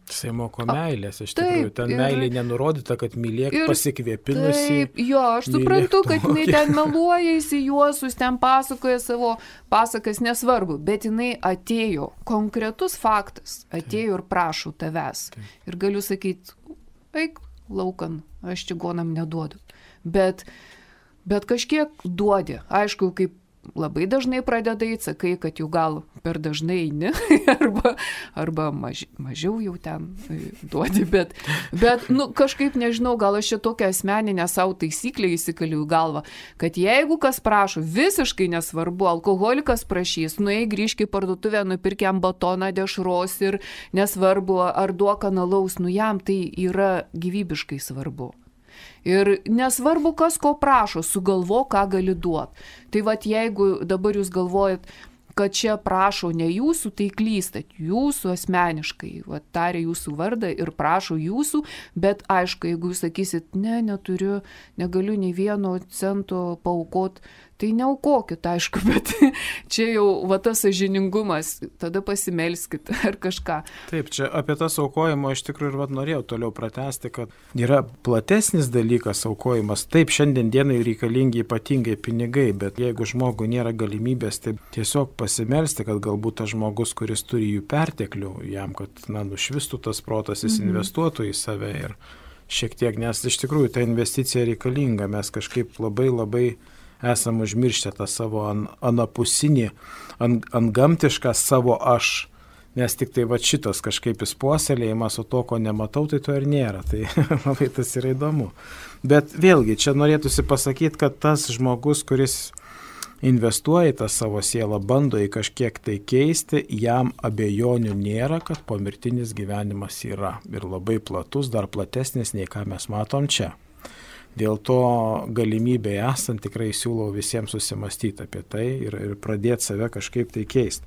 Jisai moko meilės, iš tikrųjų, ten meilė nenurodyta, kad mylėk pasikvėpinusi. Jo, aš suprantu, kad jinai ten meluoja įsijuosus, ten pasakoja savo pasakas, nesvarbu, bet jinai atėjo, konkretus faktas, atėjo ir prašo tavęs. Ir galiu sakyti, eik laukan, aš čigonam neduodu. Bet kažkiek duodi, aišku, kaip labai dažnai pradedai, sakai, kad jau gal per dažnai eini, arba mažiau jau ten duodi, bet kažkaip nežinau, gal aš čia tokią asmeninę savo taisyklę įsikaliu į galvą, kad jeigu kas prašo, visiškai nesvarbu, alkoholikas prašys, nueik grįžk į parduotuvę, nupirk jam batoną dešros ir nesvarbu, ar duok analaus, jam tai yra gyvybiškai svarbu. Ir nesvarbu, kas ko prašo, sugalvo, ką gali duoti. Tai vat jeigu dabar jūs galvojat, kad čia prašo ne jūsų, tai klystat, jūsų asmeniškai, vat taria jūsų vardą ir prašo jūsų, bet aišku, jeigu jūs sakysit, neturiu, negaliu nei vieno cento paaukot, tai neaukokit, aišku, bet čia jau va tas sąžiningumas, tada pasimelskit ar kažką. Taip, čia apie tas aukojimo iš tikrųjų ir norėjau toliau pratęsti, kad yra platesnis dalykas aukojimas. Taip, šiandien dienai reikalingi ypatingai pinigai, bet jeigu žmogui nėra galimybės, tai tiesiog pasimelsti, kad galbūt tas žmogus, kuris turi jų perteklių, jam, kad nušvistų tas protas, jis investuotų į save ir šiek tiek, nes iš tikrųjų ta investicija reikalinga, mes kažkaip labai esam užmirštę tą savo anapusinį, antgamtišką savo aš, nes tik tai va šitas kažkaip įspuoselėjimas, o to, ko nematau, tai to ir nėra, tai labai tas yra įdomu. Bet vėlgi, čia norėtųsi pasakyti, kad tas žmogus, kuris investuoja į tą savo sielą, bando į kažkiek tai keisti, jam abejonių nėra, kad pomirtinis gyvenimas yra ir labai platus, dar platesnis nei ką mes matom čia. Dėl to galimybė esant tikrai siūlau visiems susimastyti apie tai ir pradėti save kažkaip tai keisti.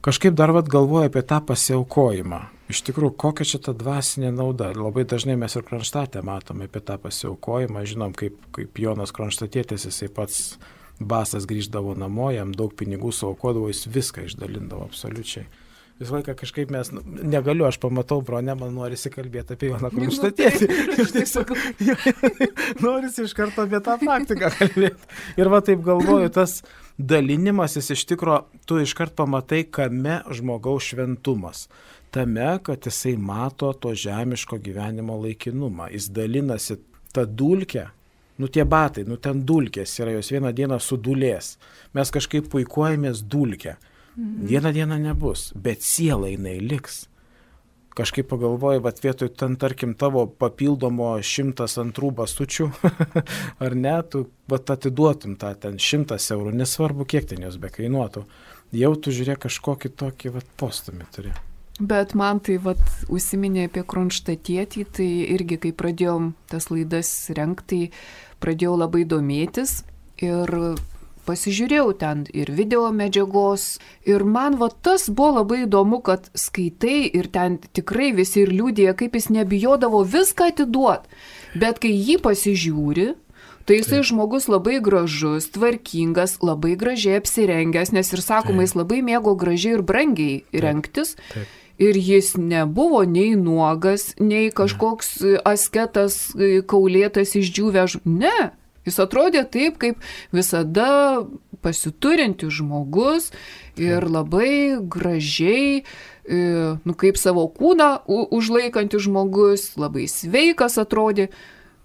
Kažkaip dar galvoju apie tą pasiaukojimą. Iš tikrųjų, kokia čia ta dvasinė nauda? Labai dažnai mes ir Kronštate matome apie tą pasiaukojimą. Žinom, kaip Jonas Kronštatietis, jisai pats basas grįždavo namo, jam daug pinigų suaukodavo, jis viską išdalindavo absoliučiai. Visą laiką kažkaip mes, negaliu, aš pamatau bronę, man norisi kalbėti apie Joną Kronštatėtį. Norisi iš karto apie tą praktiką kalbėti. Ir va taip galvoju, tas dalinimasis iš tikro, tu iškart pamatai, kame žmogaus šventumas. Tame, kad jisai mato to žemiško gyvenimo laikinumą. Jis dalinasi tą dulkę. Tie batai, ten dulkės yra, jos vieną dieną sudulės. Mes kažkaip puikuojamės dulkę. Vieną dieną nebus, bet siela jinai liks. kažkaip pagalvoju, bet vietoj ten, tarkim, tavo papildomo 102 basučių, ar ne, tu atiduotum tą ten 100 eurų, nesvarbu, kiek ten jos bekainuotų. Jau tu žiūrėk kažkokį tokį postumį turi. Bet man tai užsiminė apie Kronštatietį, tai irgi, kai pradėjom tas laidas rengti, pradėjau labai domėtis ir pasižiūrėjau ten ir video medžiagos. Ir man tas buvo labai įdomu, kad skaitai ir ten tikrai visi ir liudija, kaip jis nebijodavo viską atiduoti. Bet kai jį pasižiūri, tai jisai žmogus labai gražus, tvarkingas, labai gražiai apsirengęs, nes ir sakoma, jis labai mėgo gražiai ir brangiai rengtis. Ir jis nebuvo nei nuogas, nei kažkoks asketas, kaulėtas, išdžiūvęs. Ne, jis atrodė taip, kaip visada pasiturintis žmogus ir labai gražiai, kaip savo kūną užlaikantis žmogus, labai sveikas atrodė.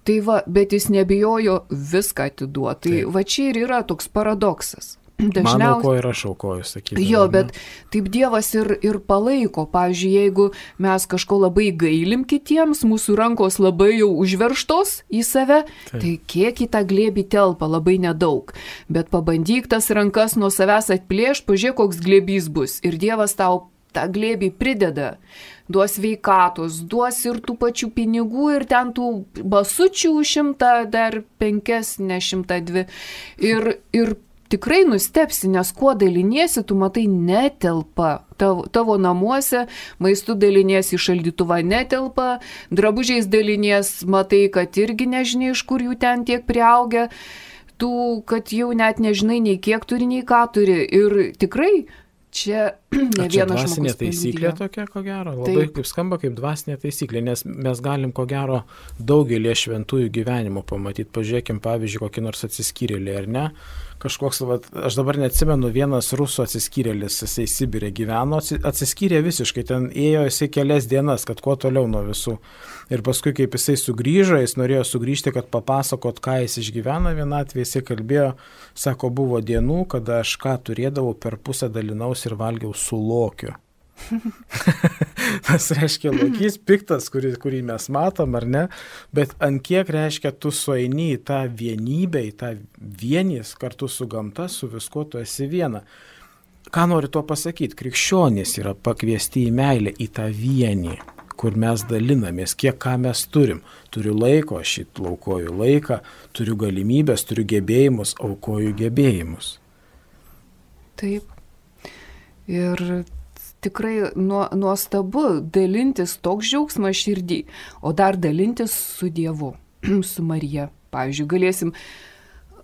Tai bet jis nebijojo viską atiduoti. Tai čia ir yra toks paradoksas. Mano ko ir aš aukoju, sakydavau. Jo, bet taip Dievas ir palaiko. Pavyzdžiui, jeigu mes kažko labai gailim kitiems, mūsų rankos labai jau užverštos į save, tai kiek į tą glėbį telpa, labai nedaug. Bet pabandyk tas rankas nuo savęs atplėšt, pažiūrėk, koks glėbys bus. Ir Dievas tau tą glėbį prideda. Duos sveikatos, duos ir tų pačių pinigų, ir ten tų basučių 100, dar 5, ne 102. Ir tikrai nustepsi, nes kuo daliniesi, tu matai netelpa. Tavo namuose maistu daliniesi, šaldytuvą netelpa, drabužiais dalinies, matai, kad irgi nežinai, iš kur jų ten tiek priaugia, kad jau net nežinai nei kiek turi, nei ką turi. Ir tikrai čia ne vienas žmogus. Dvasinė taisyklė tokia, ko gero, labai kaip skamba kaip dvasinė taisyklė, nes mes galim, ko gero, daugelį šventųjų gyvenimo pamatyti. Pažiūrėkim, pavyzdžiui, kokį nors atsiskyrėlį, ar ne? Kažkoks, aš dabar neatsimenu, vienas rusų atsiskyrėlis, jisai Sibire gyveno, atsiskyrė visiškai, ten ėjo jisai kelias dienas, kad kuo toliau nuo visų. Ir paskui, kaip jisai sugrįžo, jis norėjo sugrįžti, kad papasakot, ką jis išgyvena vienatvėje, jisai kalbėjo, sako, buvo dienų, kada aš ką turėdavau, per pusę dalinausi ir valgiau su lokiu. Tas reiškia lokys piktas, kurį mes matom, ar ne, bet ant kiek reiškia tu sueini į tą vienybę, į tą vienys kartu su gamta, su viskuo tu esi viena. Ką nori to pasakyti? Krikščionys yra pakviesti į meilę, į tą vienį, kur mes dalinamės, kiek ką mes turim. Turiu laiko, aš aukoju laiką, turiu galimybės, turiu gebėjimus, aukoju gebėjimus. Taip. Ir tikrai nuostabu dalintis toks džiaugsmas širdį, o dar dalintis su Dievu, su Marija. Pavyzdžiui, galėsim,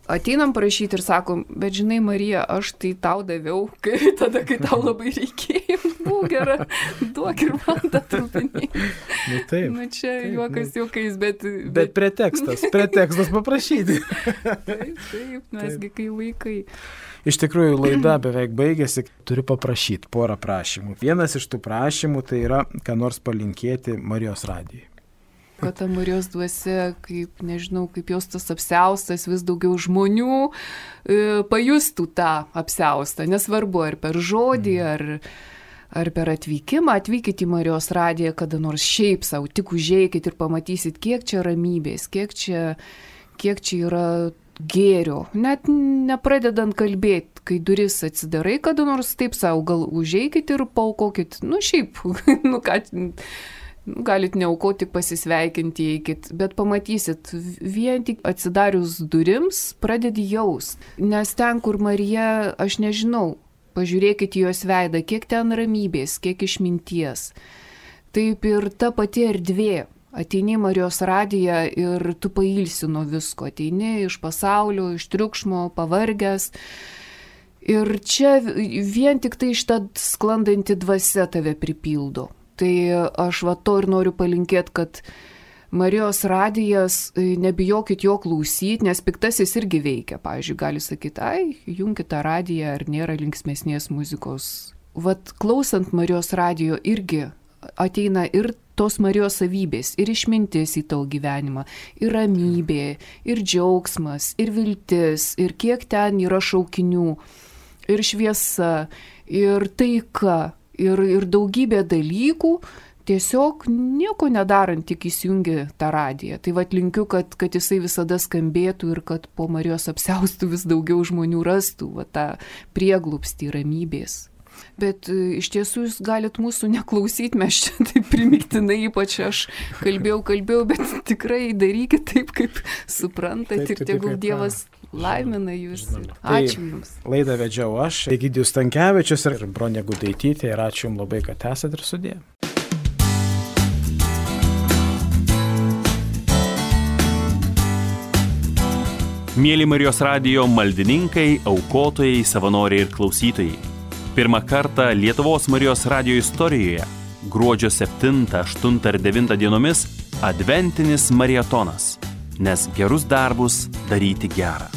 ateinam prašyti ir sakom, bet žinai, Marija, aš tai tau daviau, tada, kai tau labai reikėjo, būk gera, duok ir man tą trupinį. Taip. Čia juokas juokais, bet... Bet pretekstas paprašyti. Taip, mesgi kai vaikai. Iš tikrųjų, laida beveik baigėsi, turiu paprašyti porą prašymų. Vienas iš tų prašymų tai yra, ką nors palinkėti Marijos radijai. Kad ta Marijos dvasia, kaip jos tas apsiaustas, vis daugiau žmonių pajustų tą apsiaustą. Nesvarbu, ar per žodį, ar per atvykimą. Atvykit į Marijos radiją, kada nors šiaip savo, tik užeikit ir pamatysit, kiek čia ramybės, kiek čia yra gėrio, net nepradedant kalbėti, kai duris atsidarai, kada nors taip savo, gal užeikit ir paaukokit, šiaip, galit neaukoti, tik pasisveikinti, eikit, bet pamatysit, vien tik atsidarius durims pradedi jaust, nes ten, kur Marija, aš nežinau, pažiūrėkit į jos veidą, kiek ten ramybės, kiek išminties, taip ir ta pati erdvė. Ateini Marijos radiją ir tu pailsi nuo visko, ateini iš pasaulio, iš triukšmo, pavargęs. Ir čia vien tik tai šitą sklandanti dvasia tave pripildo. Tai aš to ir noriu palinkėti, kad Marijos radijas, nebijokit jo klausyti, nes piktasis irgi veikia. Pavyzdžiui, gali sakyti, junkit tą radiją, ar nėra linksmesnės muzikos. Klausant Marijos radijo irgi ateina ir tos Marijos savybės, ir išmintis į tavo gyvenimą, ir ramybė, ir džiaugsmas, ir viltis, ir kiek ten yra šaukinių, ir šviesa, ir taika, ir daugybė dalykų, tiesiog nieko nedarant, tik įsijungi tą radiją. Tai vat linkiu, kad jisai visada skambėtų ir kad po Marijos apsiaustų vis daugiau žmonių rastų va, tą prieglupstį ramybės. Bet iš tiesų jūs galit mūsų neklausyti, mes čia taip primiktinai, ypač aš kalbėjau, bet tikrai darykit taip, kaip suprantat ir tegul Dievas laimina jūs. Ačiū Jums. Laidą vedžiau aš, Egidijus Stankevičius ir Bronė Gudaitytė ir ačiū Jums labai, kad esat ir sudė. Mėly Marijos radijo maldininkai, aukotojai, savanoriai ir klausytojai. Pirmą kartą Lietuvos Marijos radijo istorijoje gruodžio 7, 8 ir 9 dienomis adventinis marietonas, nes gerus darbus daryti gerą.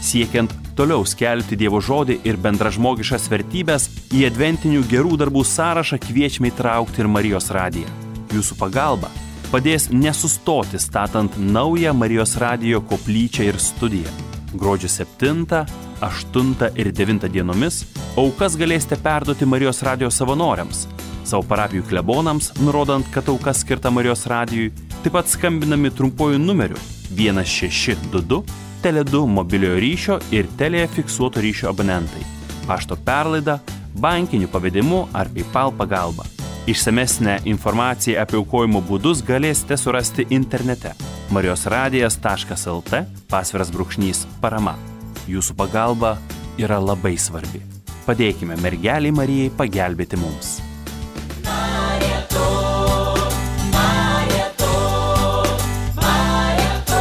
Siekiant toliau skelbti Dievo žodį ir bendražmogiškas vertybės, į adventinių gerų darbų sąrašą kviečiame įtraukti ir Marijos radiją. Jūsų pagalba padės nesustoti statant naują Marijos radijo koplyčią ir studiją. Gruodžio 7, 8 ir 9 dienomis aukas galėsite perduoti Marijos radijo savanoriams, savo parapijų klebonams, nurodant, kad auka skirta Marijos radijui, taip pat skambinami trumpuoju numeriu 1622, Tele2 mobiliojo ryšio ir Telia fiksuoto ryšio abonentai, pašto perlaida, bankiniu pavedimu ar PayPal pagalba. Išsamesnę informaciją apie aukojimo būdus galėsite surasti internete marijosradijas.lt /parama. Jūsų pagalba yra labai svarbi. Padėkime mergelei Marijai pagelbėti mums. Mariato, Mariato, Mariato.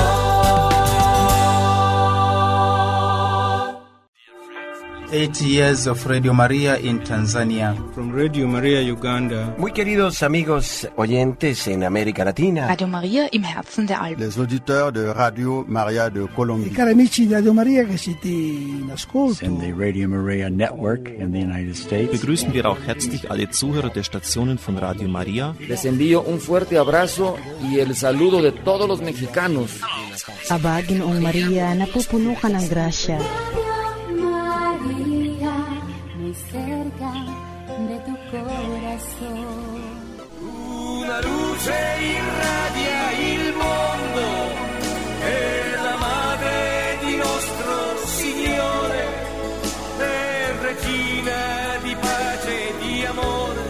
8 years of Radio Maria in Tanzania. From Radio Maria Uganda. Muy queridos amigos oyentes en América Latina. Radio Maria im Herzen der Alpen. Les auditeurs de Radio Maria de Colombie. I cari amici di Radio Maria che siete in ascolto. And the Radio Maria Network in the United States. Begrüßen wir auch herzlich alle Zuhörer der Stationen von Radio Maria. Les envío un fuerte abrazo y el saludo de todos los mexicanos. Aba, Ginoong Maria, napupuno ka ng grasya. Cerca de tu corazón. Una luce irradia il mondo, è la madre di nostro Signore, è regina di pace e di amore,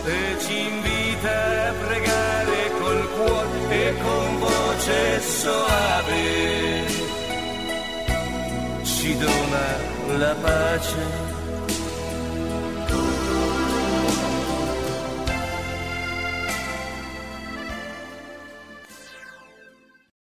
e ci invita a pregare col cuore e con voce soave, ci dona la pace